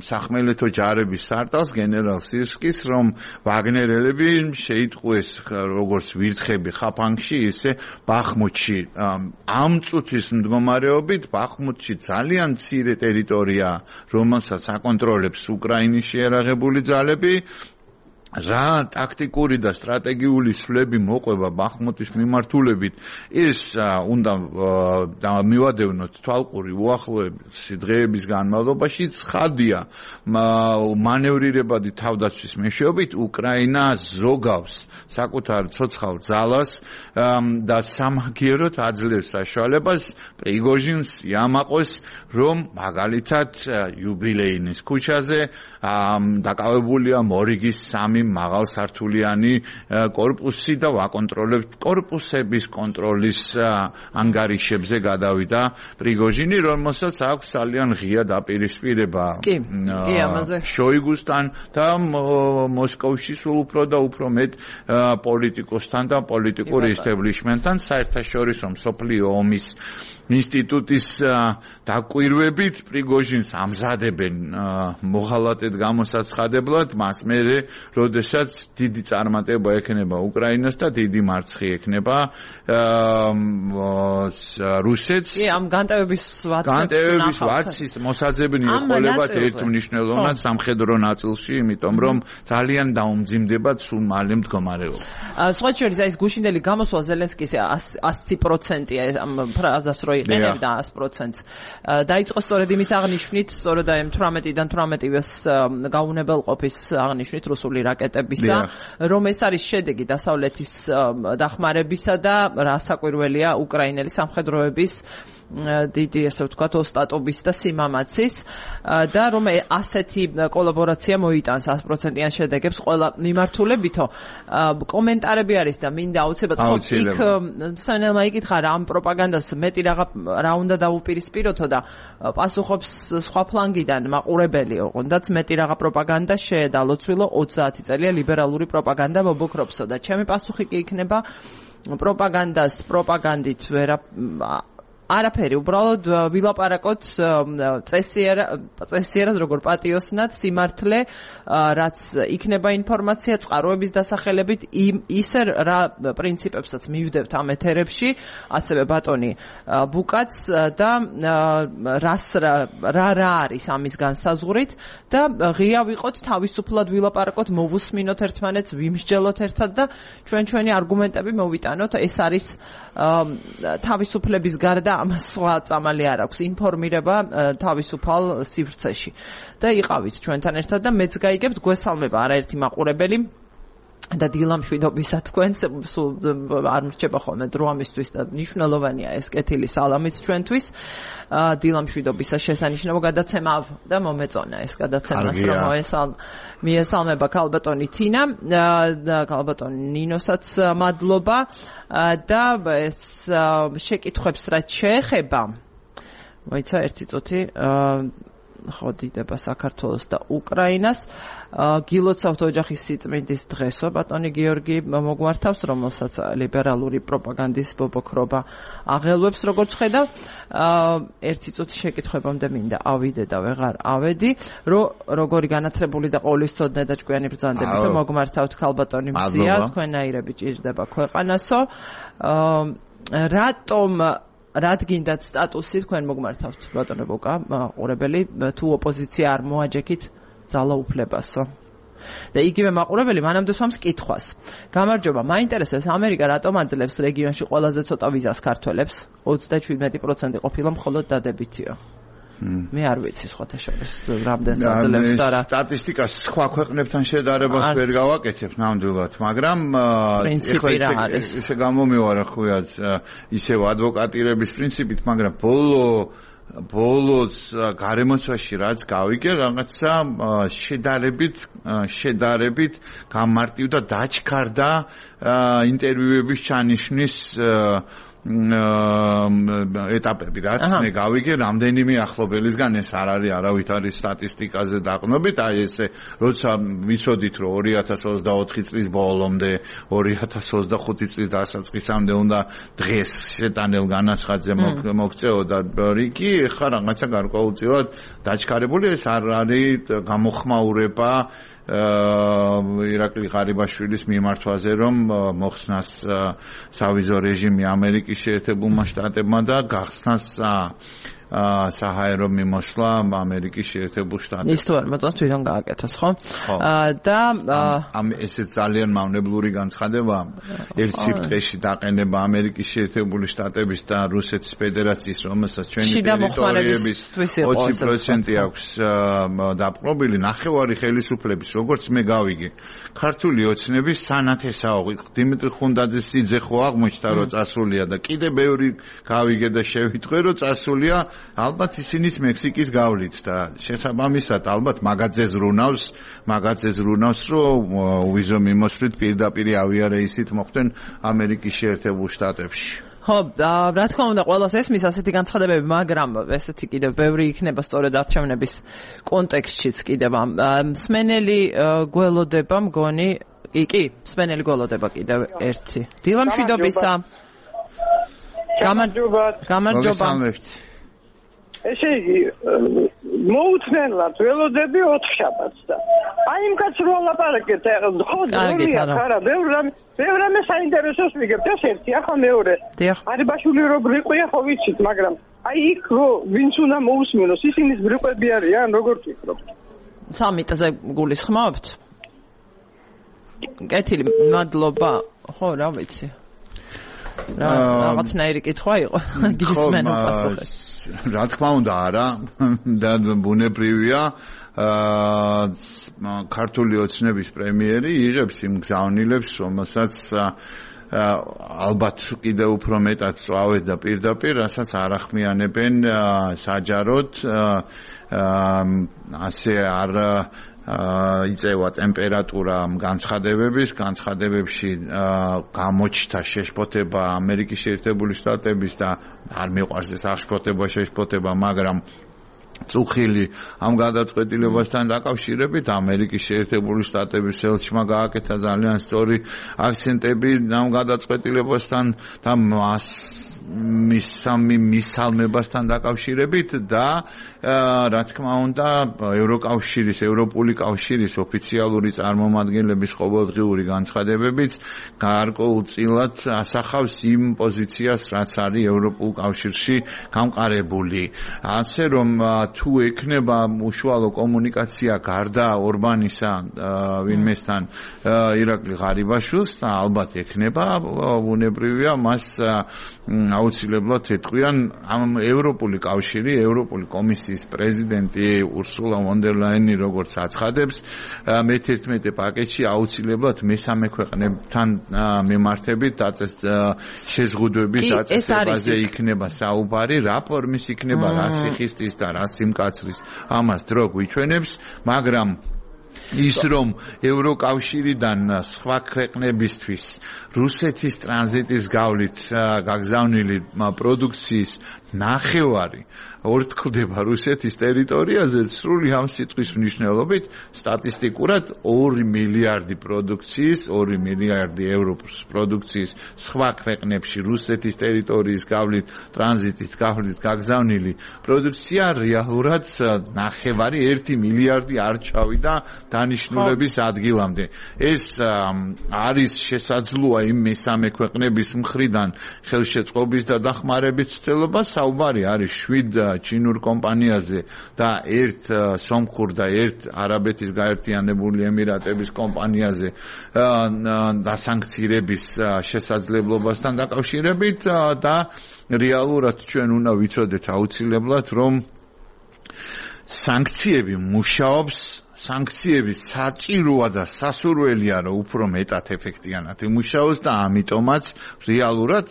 სახმელეთო ჯარების სარტყელს გენერალ სირსკის, რომ ვაგნერელები შეიტყვეს როგორც ვირთხები ხაფანგში, ისე ბახმუთში. ამ წუთის მდგომარეობით ბახმუთში ძალიან მცირე ტერიტორია, რომელსაც აკონტროლებს უკრაინის შეიარაღებული ძალები. რა ტაქტიკური და სტრატეგიული სვლები მოყვება ბახმუთის მიმართულებით, ის უნდა მივადევნოთ თვალყური უახლოების დღეების განმავლობაში. ცხადია, მანევრირებადი თავდაცვის მეშვეობით უკრაინა ზოგავს საკუთარ ცოცხალ ძალას და სამაგიეროდ აძლევს საშუალებას პრიგოჟინს იამაყოს, რომ მაგალითად იუბილეინის ქუჩაზე დაკავებულია მორიგის 3 მაღალსართულიანი კორპუსი და ვაკონტროლებთ კორპუსების კონტროლის ანგარიშებზე გადავიდა პრიგოჟინი, რომელსაც აქვს ძალიან ღია დაპირისპირება შოიგუსთან და მოსკოვში სულ უფრო და უფრო მეტ პოლიტიკოსთან და პოლიტიკურ ისტებლიშმენტთან, საერთაშორისო მსოფლიო ომის ინსტიტუტის დაკვირვებით პრიგოჟინს ამზადებენ მოღალატედ გამოსაცხადებლად, მას მერე როდესაც დიდი წარმატება ექნება უკრაინას და დიდი მარცხი ექნება რუსეთს. ამ განტევების ვაცის მოსაძებნი ეყოლებათ ერთ მნიშვნელოვნად სამხედრო ნაწილში, იმიტომ რომ ძალიან დაუმძიმდება სულ მალე მდგომარეობა. სხვა შორის ეს გუშინდელი გამოსვლა ზელენსკის 100%-ია ამ ფრაზას რო იყენებდა 100%-ს. დაიწყო სწორედ იმის აღნიშვნით, სწორედ აი 18-დან 18-ივეს გაუნებელყოფის აღნიშვნით რუსული რაკეტებისა, რომ ეს არის შედეგი დასავლეთის დახმარებისა და რასაკვირველია უკრაინელი სამხედროების დიდი ესე ვთქვათ ოსტატობის და სიმამაცის და რომ ასეთი კოლაბორაცია მოიტანს 100%-იან შედეგებს ყველა მიმართულებითო. კომენტარები არის და მინდა აუცილებლად იქ სანელმა იკითხა რა ამ პროპაგანდას მეტი რა უნდა დაუპირისპიროთო და პასუხობს სხვა ფლანგიდან მაყურებელი ოღონდაც მეტი რაღა პროპაგანდა შეედალოცვილო 30 წელია ლიბერალური პროპაგანდა მობოქრობსო და ჩემი პასუხი კი იქნება პროპაგანდით არაფერი, უბრალოდ ვილაპარაკოთ წესიერად როგორ პატიოსნად სიმართლე, რაც იქნება ინფორმაცია წყაროების დასახელებით, ისე რა პრინციპებსაც მივდევთ ამ ეთერებში, ასევე ბატონი ბუკაც და რა არის ამის განსაზღვრით და ღია ვიყოთ, თავისუფლად ვილაპარაკოთ, მოვუსმინოთ ერთმანეთს, ვიმსჯელოთ ერთად და ჩვენი არგუმენტები მოვიტანოთ. ეს არის თავისუფლების გარდა ამას სხვა წამალი არ აქვს, ინფორმირება თავისუფალ სივრცეში. და იყავით ჩვენთან ერთად და მეც გაიგებთ, გვესალმება არაერთი მაყურებელი და დილამშვიდობისა თქვენს, სულ არ მრჩება ხოლმე დრო ამისთვის და მნიშვნელოვანია ეს კეთილი სალამით ჩვენთვის. დილამშვიდობისა შესანიშნავ გადაცემა და მომეწონა ეს გადაცემას, რომ მიესალმება ქალბატონი თინა და ქალბატონი ნინოსაც მადლობა და ეს შეკითხვებს რაც შეეხება, მოიცა ერთი წუთი ხო დიდება საქართველოს და უკრაინას. გილოცავთ ოჯახის სიწმინდის დღესო, ბატონი გიორგი მოგვართავს, რომელსაც ლიბერალური პროპაგანდის ბობოქრობა აღელვებს, როგორც ხედავ. ერთი წუთი შეკითხვებამდე მინდა ავიდე და ვეღარ ავედი, როგორი განათლებული და ყოვლისწოდნე და ჭკვიანი ბრძანდებით მოგვართავთ ქალბატონი მზია, თქვენაირები ჭირდება ქვეყანასო. რადგინდაც სტატუსი თქვენ მოგმართავთ ბატონო ბოკა, მაყურებელი, თუ ოპოზიცია არ მოაჯექით ძალაუფლებასო. და იგივე მაყურებელი მანამდე სვამს კითხვას. გამარჯობა, მაინტერესებს ამერიკა რატომ აძლევს რეგიონში ყველაზე ცოტა ვიზას ქართველებს? 37% ყოფილა მხოლოდ დადებითია. მე არ ვიცი სხვათა შორის რამდენს აძლევს და რა. სტატისტიკას სხვა ქვეყნებთან შედარებას ვერ გავაკეთებ ნამდვილად, მაგრამ ესე გამომივარა ხუიად ისევ ადვოკატირების პრინციპით, მაგრამ ბოლოს გარემოცვაში რაც გავიგე, რაღაცა შედარებით გამარტივდა, დაჩქარდა ინტერვიუების ჩანიშვნის ეტაპები, რაც მე გავიგე, რამდენიმე ახლობელისგან ეს არ არის არავითარი სტატისტიკაზე დაყრდნობით, აი ესე როცა ვიცოდით, რომ 2024 წლის ბოლომდე, 2025 წლის დასაწყისამდე უნდა დღეს შეტანილ განაცხადზე მოგწეოდა რიგი, ეხლა რაღაცა გარკვეულწილად დაჩქარებული, ეს არ არის გამოხმაურება ირაკლი ღარიბაშვილის მიმართვაზე, რომ მოხსნას სავიზო რეჟიმი ამერიკის შეერთებულმა შტატებმა და გახსნას საჰაერო მიმოსვლა ამერიკის შეერთებულ შტატებში. ის თუ არ მოწონს თვითონ გააკეთოს, ხო? და ესეც ძალიან მავნებლური განცხადება, ერთ სიფრთხეში დაყენება ამერიკის შეერთებული შტატების და რუსეთის ფედერაციის, რომელსაც ჩვენი ტერიტორიების 20% აქვს დაპყრობილი, ნახევარი ხელისუფლების, როგორც მე გავიგე, ქართული ოცნების სანათესაო დიმიტრი ხუნდაძის სიძე ხო აღმოჩნდა, რომ წასულია და კიდე ბევრი გავიგე და შევიტყვე, რომ წასულია ალბათ ისინიც მექსიკის გავლით და შესაბამისად ალბათ მაგაძეს რუნავს, რომ ვიზო მიმოსვლით პირდაპირ ავიარეისით მოხვდნენ ამერიკის შეერთებულ შტატებში. ხო, რა თქმა უნდა, ყველას ესმის ასეთი განცხადებები, მაგრამ ესეთი კიდევ ბევრი იქნება სწორედ არჩევნების კონტექსტშიც კიდევ მსმენელი გველოდება მგონი, კი, მსმენელი გველოდება კიდევ ერთი. დილა მშვიდობისა. გამარჯობა. ესე იგი, მოუთმენლად ველოდები 4 შაბათს და აი იმ კაც რო ლაპარაკეთ, ხო, არა, ბევრ რამე საინტერესოს ვიგებთ, ეს ერთი, ახლა მეორე. არიბაშვილი რო ბრიყვია, ხო ვიცით, მაგრამ აი იქ რო ვინც უნდა მოусმინოს, ისინის ბრიყვები არიან, როგორ ვფიქრობთ? სამიტზე გულისხმობთ? კეთილი, მადლობა. ხო, რა ვიცი. რაღაცნაირი კითხვა იყო, გისმენო პასუხი. რა თქმა უნდა, არა, და ბუნებრივია, ქართული ოცნების პრემიერი იღებს იმ გზავნილებს, რომელსაც ალბათ კიდევ უფრო მეტად წვავენ და პირდაპირ, რასაც არ ახმიანებენ საჯაროდ, ასე არ იწევა ტემპერატურა განცხადებებში გამოჩნდა შეშფოთება ამერიკის შეერთებული შტატების და არ მიყვარს ეს აღშფოთება, მაგრამ წუხილი ამ გადაწყვეტილებასთან დაკავშირებით ამერიკის შეერთებული შტატების ელჩმა გააკეთა ძალიან სწორი აქცენტები ამ გადაწყვეტილებასთან და მისალმებასთან დაკავშირებით და რა თქმა უნდა ევროპული კავშირის ოფიციალური წარმომადგენლების ყოველდღიური განცხადებებიც გარკვეულწილად ასახავს იმ პოზიციას, რაც არის ევროპულ კავშირში გამყარებული. ასე რომ თუ ექნება უშუალო კომუნიკაცია გარდა ორბანისა ვინმესთან ირაკლი ღარიბაშვილს და ალბათ ექნება, ბუნებრივია მას აუცილებლად ეთქვიან ამ ევროპული კავშირი, ევროპული კომისიის პრეზიდენტი ურსულა ვონ დერ ლაიანი როგორც აცხადებს, მე-11 პაკეტში აუცილებლად მესამე ქვეყნებთან მიმართებით შეზღუდვების დაწესებაზე იქნება საუბარი, რა ფორმის იქნება, რა სიხისტის და რა სიმკაცრის, ამას დრო გვიჩვენებს, მაგრამ ის რომ ევროკავშირიდან სხვა ქვეყნებისთვის რუსეთის ტრანზიტის გავლით გაგზავნილი პროდუქციის ნახევარი ორთქლდება რუსეთის ტერიტორიაზე, სრული ამ სიტყვის მნიშვნელობით სტატისტიკურად 2 მილიარდი პროდუქციის, 2 მილიარდი ევროს პროდუქციის სხვა ქვეყნებში რუსეთის ტერიტორიის გავლით, ტრანზიტის გავლით გაგზავნილი პროდუქცია რეალურად ნახევარი 1 მილიარდი არ ჩავიდა დანიშნულების ადგილამდე. ეს არის შესაძლოა იმ მესამე ქვეყნების მხრიდან ხელშეწყობის და დახმარების ცდილობა, საუბარი არის 7 ჩინურ კომპანიაზე და 1 სომხურ და 1 არაბეთის გაერთიანებული ემირატების კომპანიაზე და სანქციების შესაძლებლობასთან დაკავშირებით და რეალურად ჩვენ უნდა ვიცოდეთ აუცილებლად რომ სანქციები მუშაობს სანქციების საჭიროა და სასურველია რომ უფრო მეტად ეფექტიანად იმუშაოს და ამიტომაც რეალურად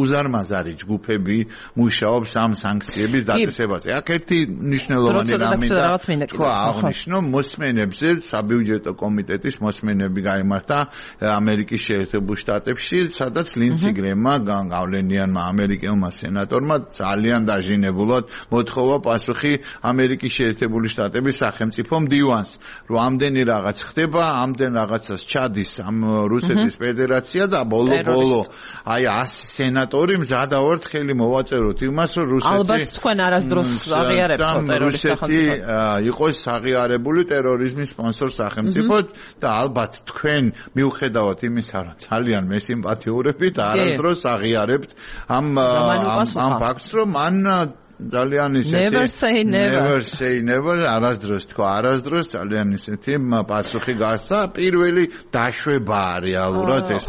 უზარმაზარი ჯგუფები მუშაობს ამ სანქციების დაწესებაზე. აქ ერთი მნიშვნელოვანი რამე თქვა აღნიშნო მოსმენებზე საბიუჯეტო კომიტეტის მოსმენები გაიმართა ამერიკის შეერთებულ შტატებში, სადაც ლინცი გრემმა გავლენიანმა ამერიკელმა სენატორმა ძალიან დაჟინებულად მოთხოვა პასუხი ამერიკის შეერთებული შტატების სახელმწიფო მდივანს, რომ ამდენი რაღაც ხდება, ამდენ რაღაცას ჩადის ამ რუსეთის ფედერაცია და ბოლო აი 100 სენატორი მზადავართ ხელი მოვაწეროთ იმას, რომ რუსეთი ალბათ თქვენ არასდროს აღიარებთ ტერორისტთა სახელმწიფოდ იყოს აღიარებული ტერორიზმის სპონსორ სახელმწიფოდ და ალბათ თქვენ მიუხედავად იმისა, რომ ძალიან მესიმპათიურებით არასდროს აღიარებთ ამ ფაქტს, რომ მან ძალიან ისეთი never say never არასდროს თქვა არასდროს ძალიან ისეთი პასუხი გასცა პირველი დაშვებაა რეალურად ეს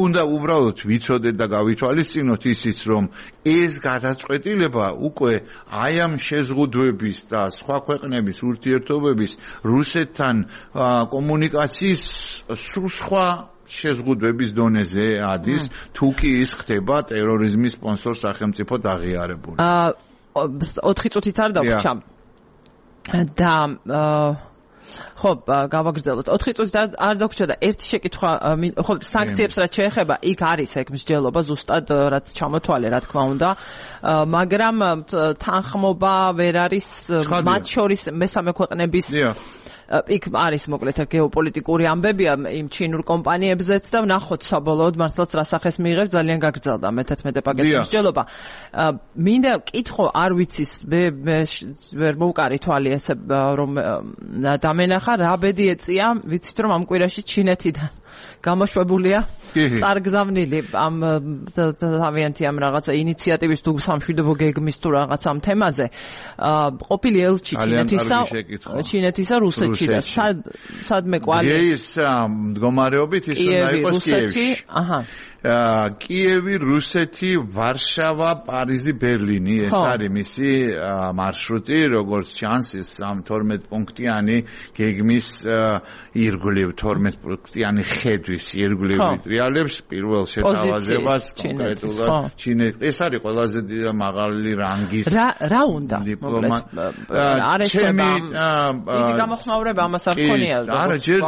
უნდა უბრალოდ ვიცოდეთ და გავითვალისწინოთ ისიც რომ ეს გადაწყვეტილება უკვე აი ამ შეზღუდვების და სხვა ქვეყნების ურთიერთობების რუსეთთან კომუნიკაციის სულ სხვა შეზღუდვების დონეზე ადის თუ კი ის ხდება ტერორიზმის სპონსორ სახელმწიფოდ აღიარებული 4 წუთით არ დავრჩა და ხო გავაგრძელოთ 4 წუთით არ დავრჩა და ერთი შეკითხვა ხო სანქციებს რაც შეეხება იქ არის ეგ მსჯელობა ზუსტად რაც ჩამოთვალე რა თქმა უნდა მაგრამ თანხმობა ვერ არის მათ შორის მესამე ქვეყნების იქ არის მოკლედ გეოპოლიტიკური ამბებია იმ ჩინურ კომპანიებზეც და ვნახოთ საბოლოოდ მართლაც რა სახეს მიიღებს ძალიან გაგრძელდა მე-11 პაკეტის მსჯელობა მინდა კითხო არ ვიცის მე ვერ მოვკარი თვალი ესე რომ დამენახა რა ბედი ეწია ვიცით რომ ამ კვირაში ჩინეთიდან გამოშვებულია წარგზავნილი ამ თავიანთი ამ რაღაცა ინიციატივის თუ სამშვიდობო გეგმის თუ რაღაც ამ თემაზე ყოფილი ელჩი ჩინეთისა რუსეთში და სადმე კვალი ეს მდგომარეობით ის უნდა იყოს კიევში კიევი, რუსეთი, ვარშავა, პარიზი, ბერლინი ეს არის მისი მარშრუტი, როგორც ჩანს ის ამ 12 პუნქტიანი გეგმის ირგვლივ 12 პუნქტიანი ხედვის ირგვლივ ტრიალებს პირველ შეთავაზებას კონკრეტულად ჩინეთს ეს არის ყველაზე მაღალი რანგის რა უნდა დიპლომატ არეშება დიდი გამოხმაურება ამას არ ქონია არა ჯერ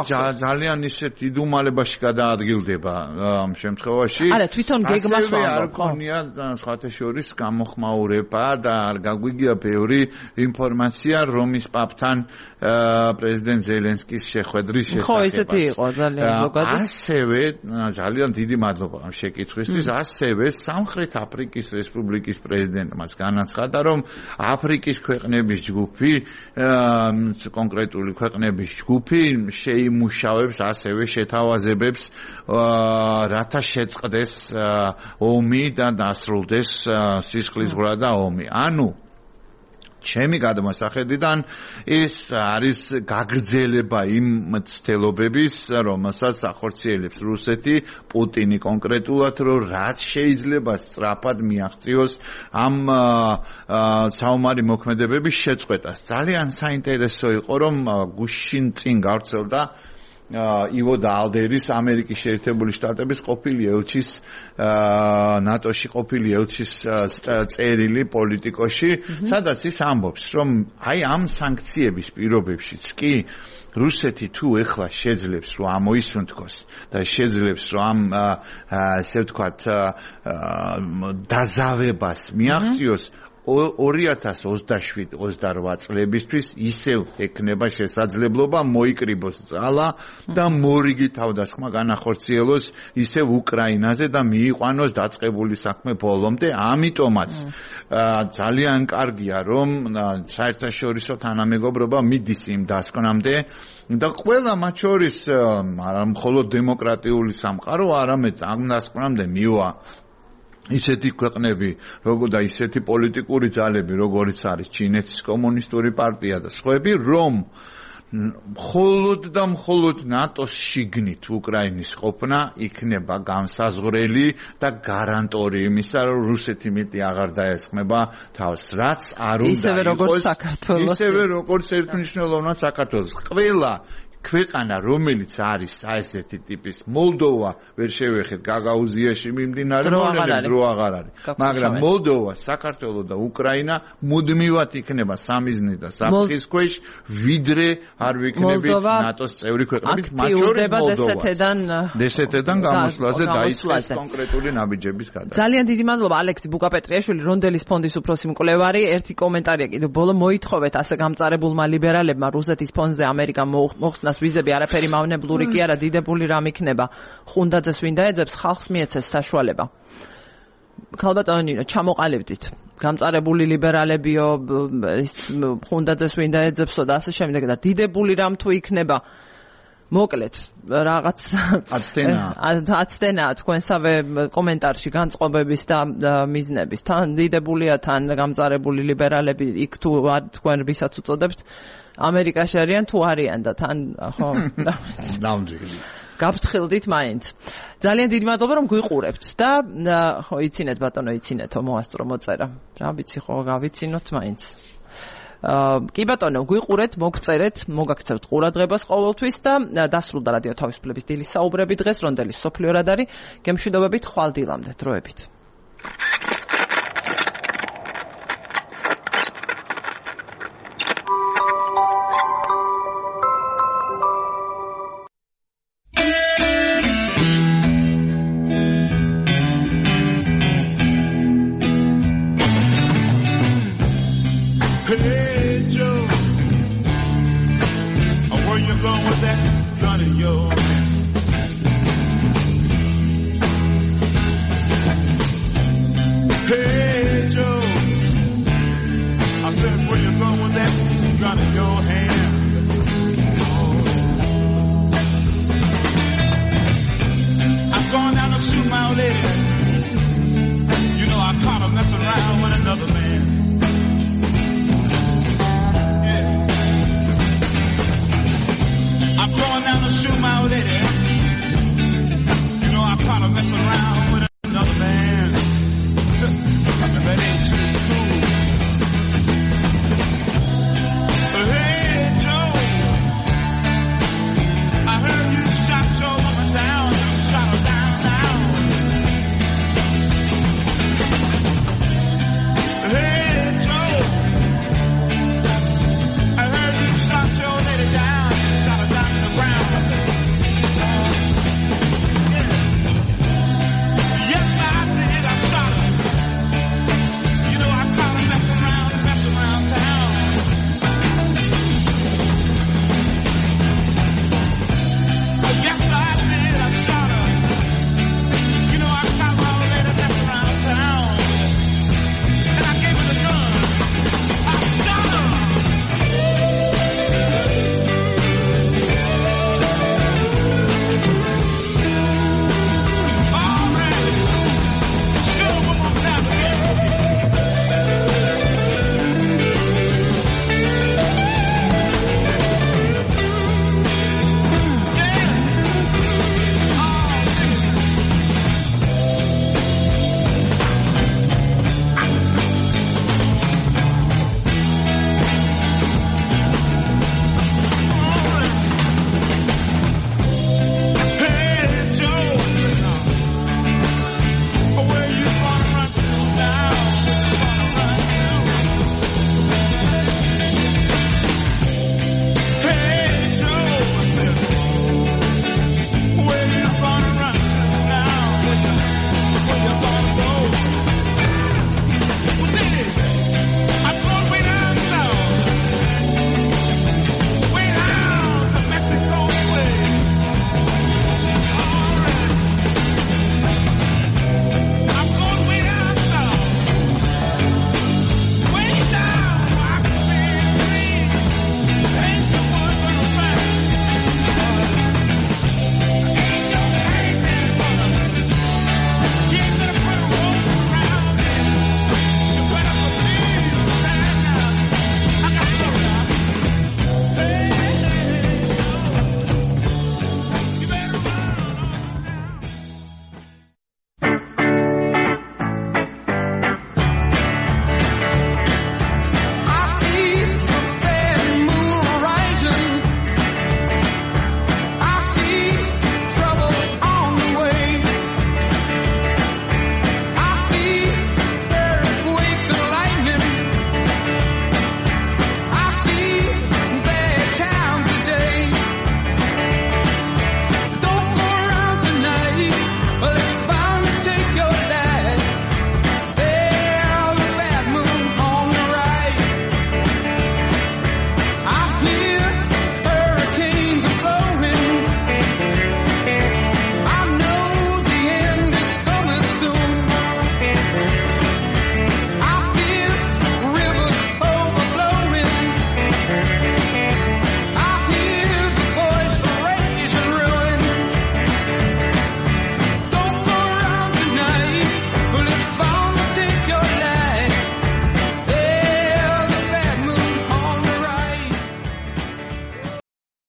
ძალიან ისეთ იდუმალებაში გადაადგილდება ამ შემთხვევაში არა თვითონ გეგმას არ ქონია სხვათა შორის გამოხმაურება და არ გაგვიგია ბევრი ინფორმაცია რომის პაპთან პრეზიდენტ ზელენსკის შეხვედრის შესახებ. ხო, ესეთი იყო ძალიან ზოგადად. ასევე ძალიან დიდი მადლობა ამ შეკითხვისთვის. ასევე სამხრეთ აფრიკის რესპუბლიკის პრეზიდენტმაც განაცხადა, რომ აფრიკის ქვეყნების ჯგუფი, კონკრეტული ქვეყნების ჯგუფი შეიმუშავებს ასევე შეთავაზებებს რათა შეწყდეს ომი და დასრულდეს სისხლისღვრა და ომი. ანუ ჩემი გადმოსახედიდან ეს არის გაგრძელება იმ მცდელობების, რომელსაც ახორციელებს რუსეთი, პუტინი კონკრეტულად, რომ რაც შეიძლება სწრაფად მიაღწიოს ამ საომარი მოქმედებების შეწყვეტას. ძალიან საინტერესო იყო, რომ გუშინ წინ გავრცელდა ივო დაალდერის ამერიკის შეერთებული შტატების ყოფილი ელჩის ნატოში ყოფილი ელჩის წერილი პოლიტიკოში, სადაც ის ამბობს, რომ აი ამ სანქციების პირობებშიც კი რუსეთი თუ ეხლა შეძლებს რომ ამოისუნთქოს და შეძლებს რომ ასე ვთქვათ დაზავებას მიაღწიოს 2027-28 წლებისთვის ისევ ექნება შესაძლებლობა მოიკრიბოს ძალა და მორიგი თავდასხმა განახორციელოს ისევ უკრაინაზე და მიიყვანოს დაწყებული საქმე ბოლომდე. ამიტომაც ძალიან კარგია რომ საერთაშორისო თანამეგობრობა მიდის იმ დასკვნამდე და ყველა მათ შორის არა მხოლოდ დემოკრატიული სამყარო, არამედ ამ დასკვნამდე მივა ისეთი ქვეყნები, როგორ და ისეთი პოლიტიკური ძალები, როგორიც არის ჩინეთის კომუნისტური პარტია და სხვები, რომ მხოლოდ და მხოლოდ ნატოს შიგნით უკრაინის ყოფნა იქნება განსაზღვრელი და გარანტორი იმისა, რომ რუსეთი მეტი აღარ დაესხმება თავს, რაც არ უნდა იყოს, ისევე როგორც ერთმნიშვნელოვნად საქართველოს. ყველა ქვეყანა, რომელიც არის ესეთი ტიპის მოლდოვა, ვერ შევეხეთ გაგაუზიაში მიმდინარე მოვლენებს, რო აღარ არის. მაგრამ მოლდოვა, საქართველო და უკრაინა მუდმივად იქნება სამიზნე და საფრთხის ქვეშ, ვიდრე არ ვიქნებით ნატოს წევრი ქვეყნებით, მათ შორის მოლდოვა. დსთ-დან გამოსვლაზე დაიწყეს კონკრეტული ნაბიჯების გადაღება. ძალიან დიდი მადლობა ალექსი ბუკაპეტრიაშვილი, რონდელის ფონდის უფროსი მკვლევარი. ერთი კომენტარია კიდევ ბოლო მოითხოვეთ ასე გამწარებულმა ლიბერალებმა რუსეთის ფონზე ამერიკა მოხსნას ვიზები არაფერი მავნებლური კი არა, დიდებული რამ იქნება. ხუნდაძეს ვინ დაეძებს, ხალხს მიეცეს საშუალება. ქალბატონო ნინო, ჩამოყალიბდით. გამწარებული ლიბერალებიო, ხუნდაძეს ვინ დაეძებსო და ასე შემდეგ და დიდებული რამ თუ იქნება. მოკლედ, რაღაც აცდენაა თქვენსავე კომენტარში განწყობების და მიზნების. თან დიდებულია, თან გამწარებული ლიბერალები იქ თუ თქვენ ვისაც უწოდებთ ამერიკაში არიან თუ არიან და თან ხო ნამდვილი გაფრთხილდით მაინც. ძალიან დიდი მადლობა რომ გვიყურებთ და ხო იცინეთ ბატონო, იცინეთო მოასწრო მოწერა. რა ვიცი ხო გავიცინოთ მაინც. კი ბატონო, გვიყურეთ, მოგწერეთ, მოგაქცევთ ყურადღებას ყოველთვის და დასრულდა რადიო თავისუფლების დილის საუბრები დღეს, რონდელის სოფლიო რადარი, გემშვიდობებით ხვალ დილამდე დროებით.